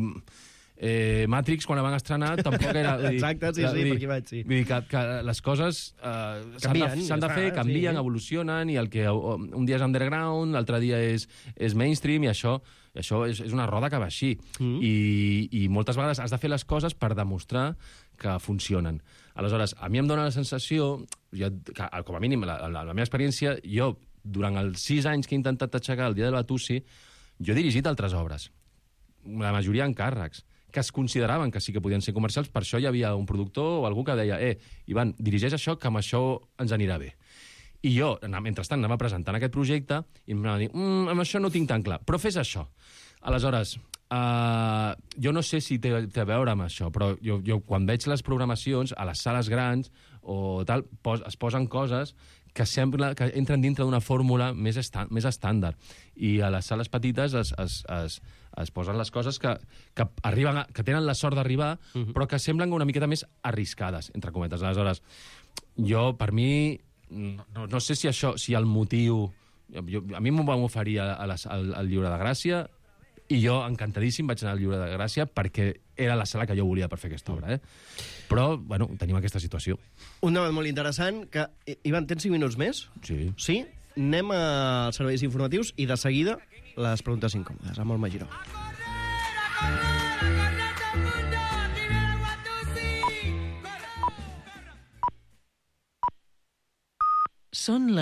eh, Matrix, quan la van estrenar, tampoc era... Dir, exacte, sí, sí, dir, per aquí vaig, sí. Vull dir que, que les coses eh, s'han de, s'han de fer, canvien, sí. evolucionen, i el que un dia és underground, l'altre dia és, és mainstream, i això, i això és, és una roda que va així. Mm. I, I moltes vegades has de fer les coses per demostrar que funcionen. Aleshores, a mi em dóna la sensació, jo, que, com a mínim, la, la, la meva experiència, jo, durant els sis anys que he intentat aixecar el Dia del Batussi, jo he dirigit altres obres, la majoria en càrrecs, que es consideraven que sí que podien ser comercials, per això hi havia un productor o algú que deia, eh, Ivan, dirigeix això, que amb això ens anirà bé. I jo, mentrestant, anava presentant aquest projecte i em anava a dir, mm, amb això no tinc tan clar, però fes això. Aleshores, uh, jo no sé si té, té a veure amb això, però jo, jo quan veig les programacions a les sales grans o tal, pos, es posen coses que sembla que entren dintre d'una fórmula més, esta, més estàndard. I a les sales petites es, es, es, es posen les coses que, que, arriben a, que tenen la sort d'arribar, uh-huh. però que semblen una miqueta més arriscades, entre cometes. Aleshores, jo, per mi, no, no sé si això, si el motiu... Jo, a mi m'ho van oferir a les, al, al Lliure de Gràcia i jo, encantadíssim, vaig anar al Lliure de Gràcia perquè era la sala que jo volia per fer aquesta obra. Eh? Però, bueno, tenim aquesta situació. Un debat molt interessant que... Ivan, tens cinc minuts més? Sí. Sí? Anem als serveis informatius i de seguida les preguntes incòmodes amb el Magiró. Són les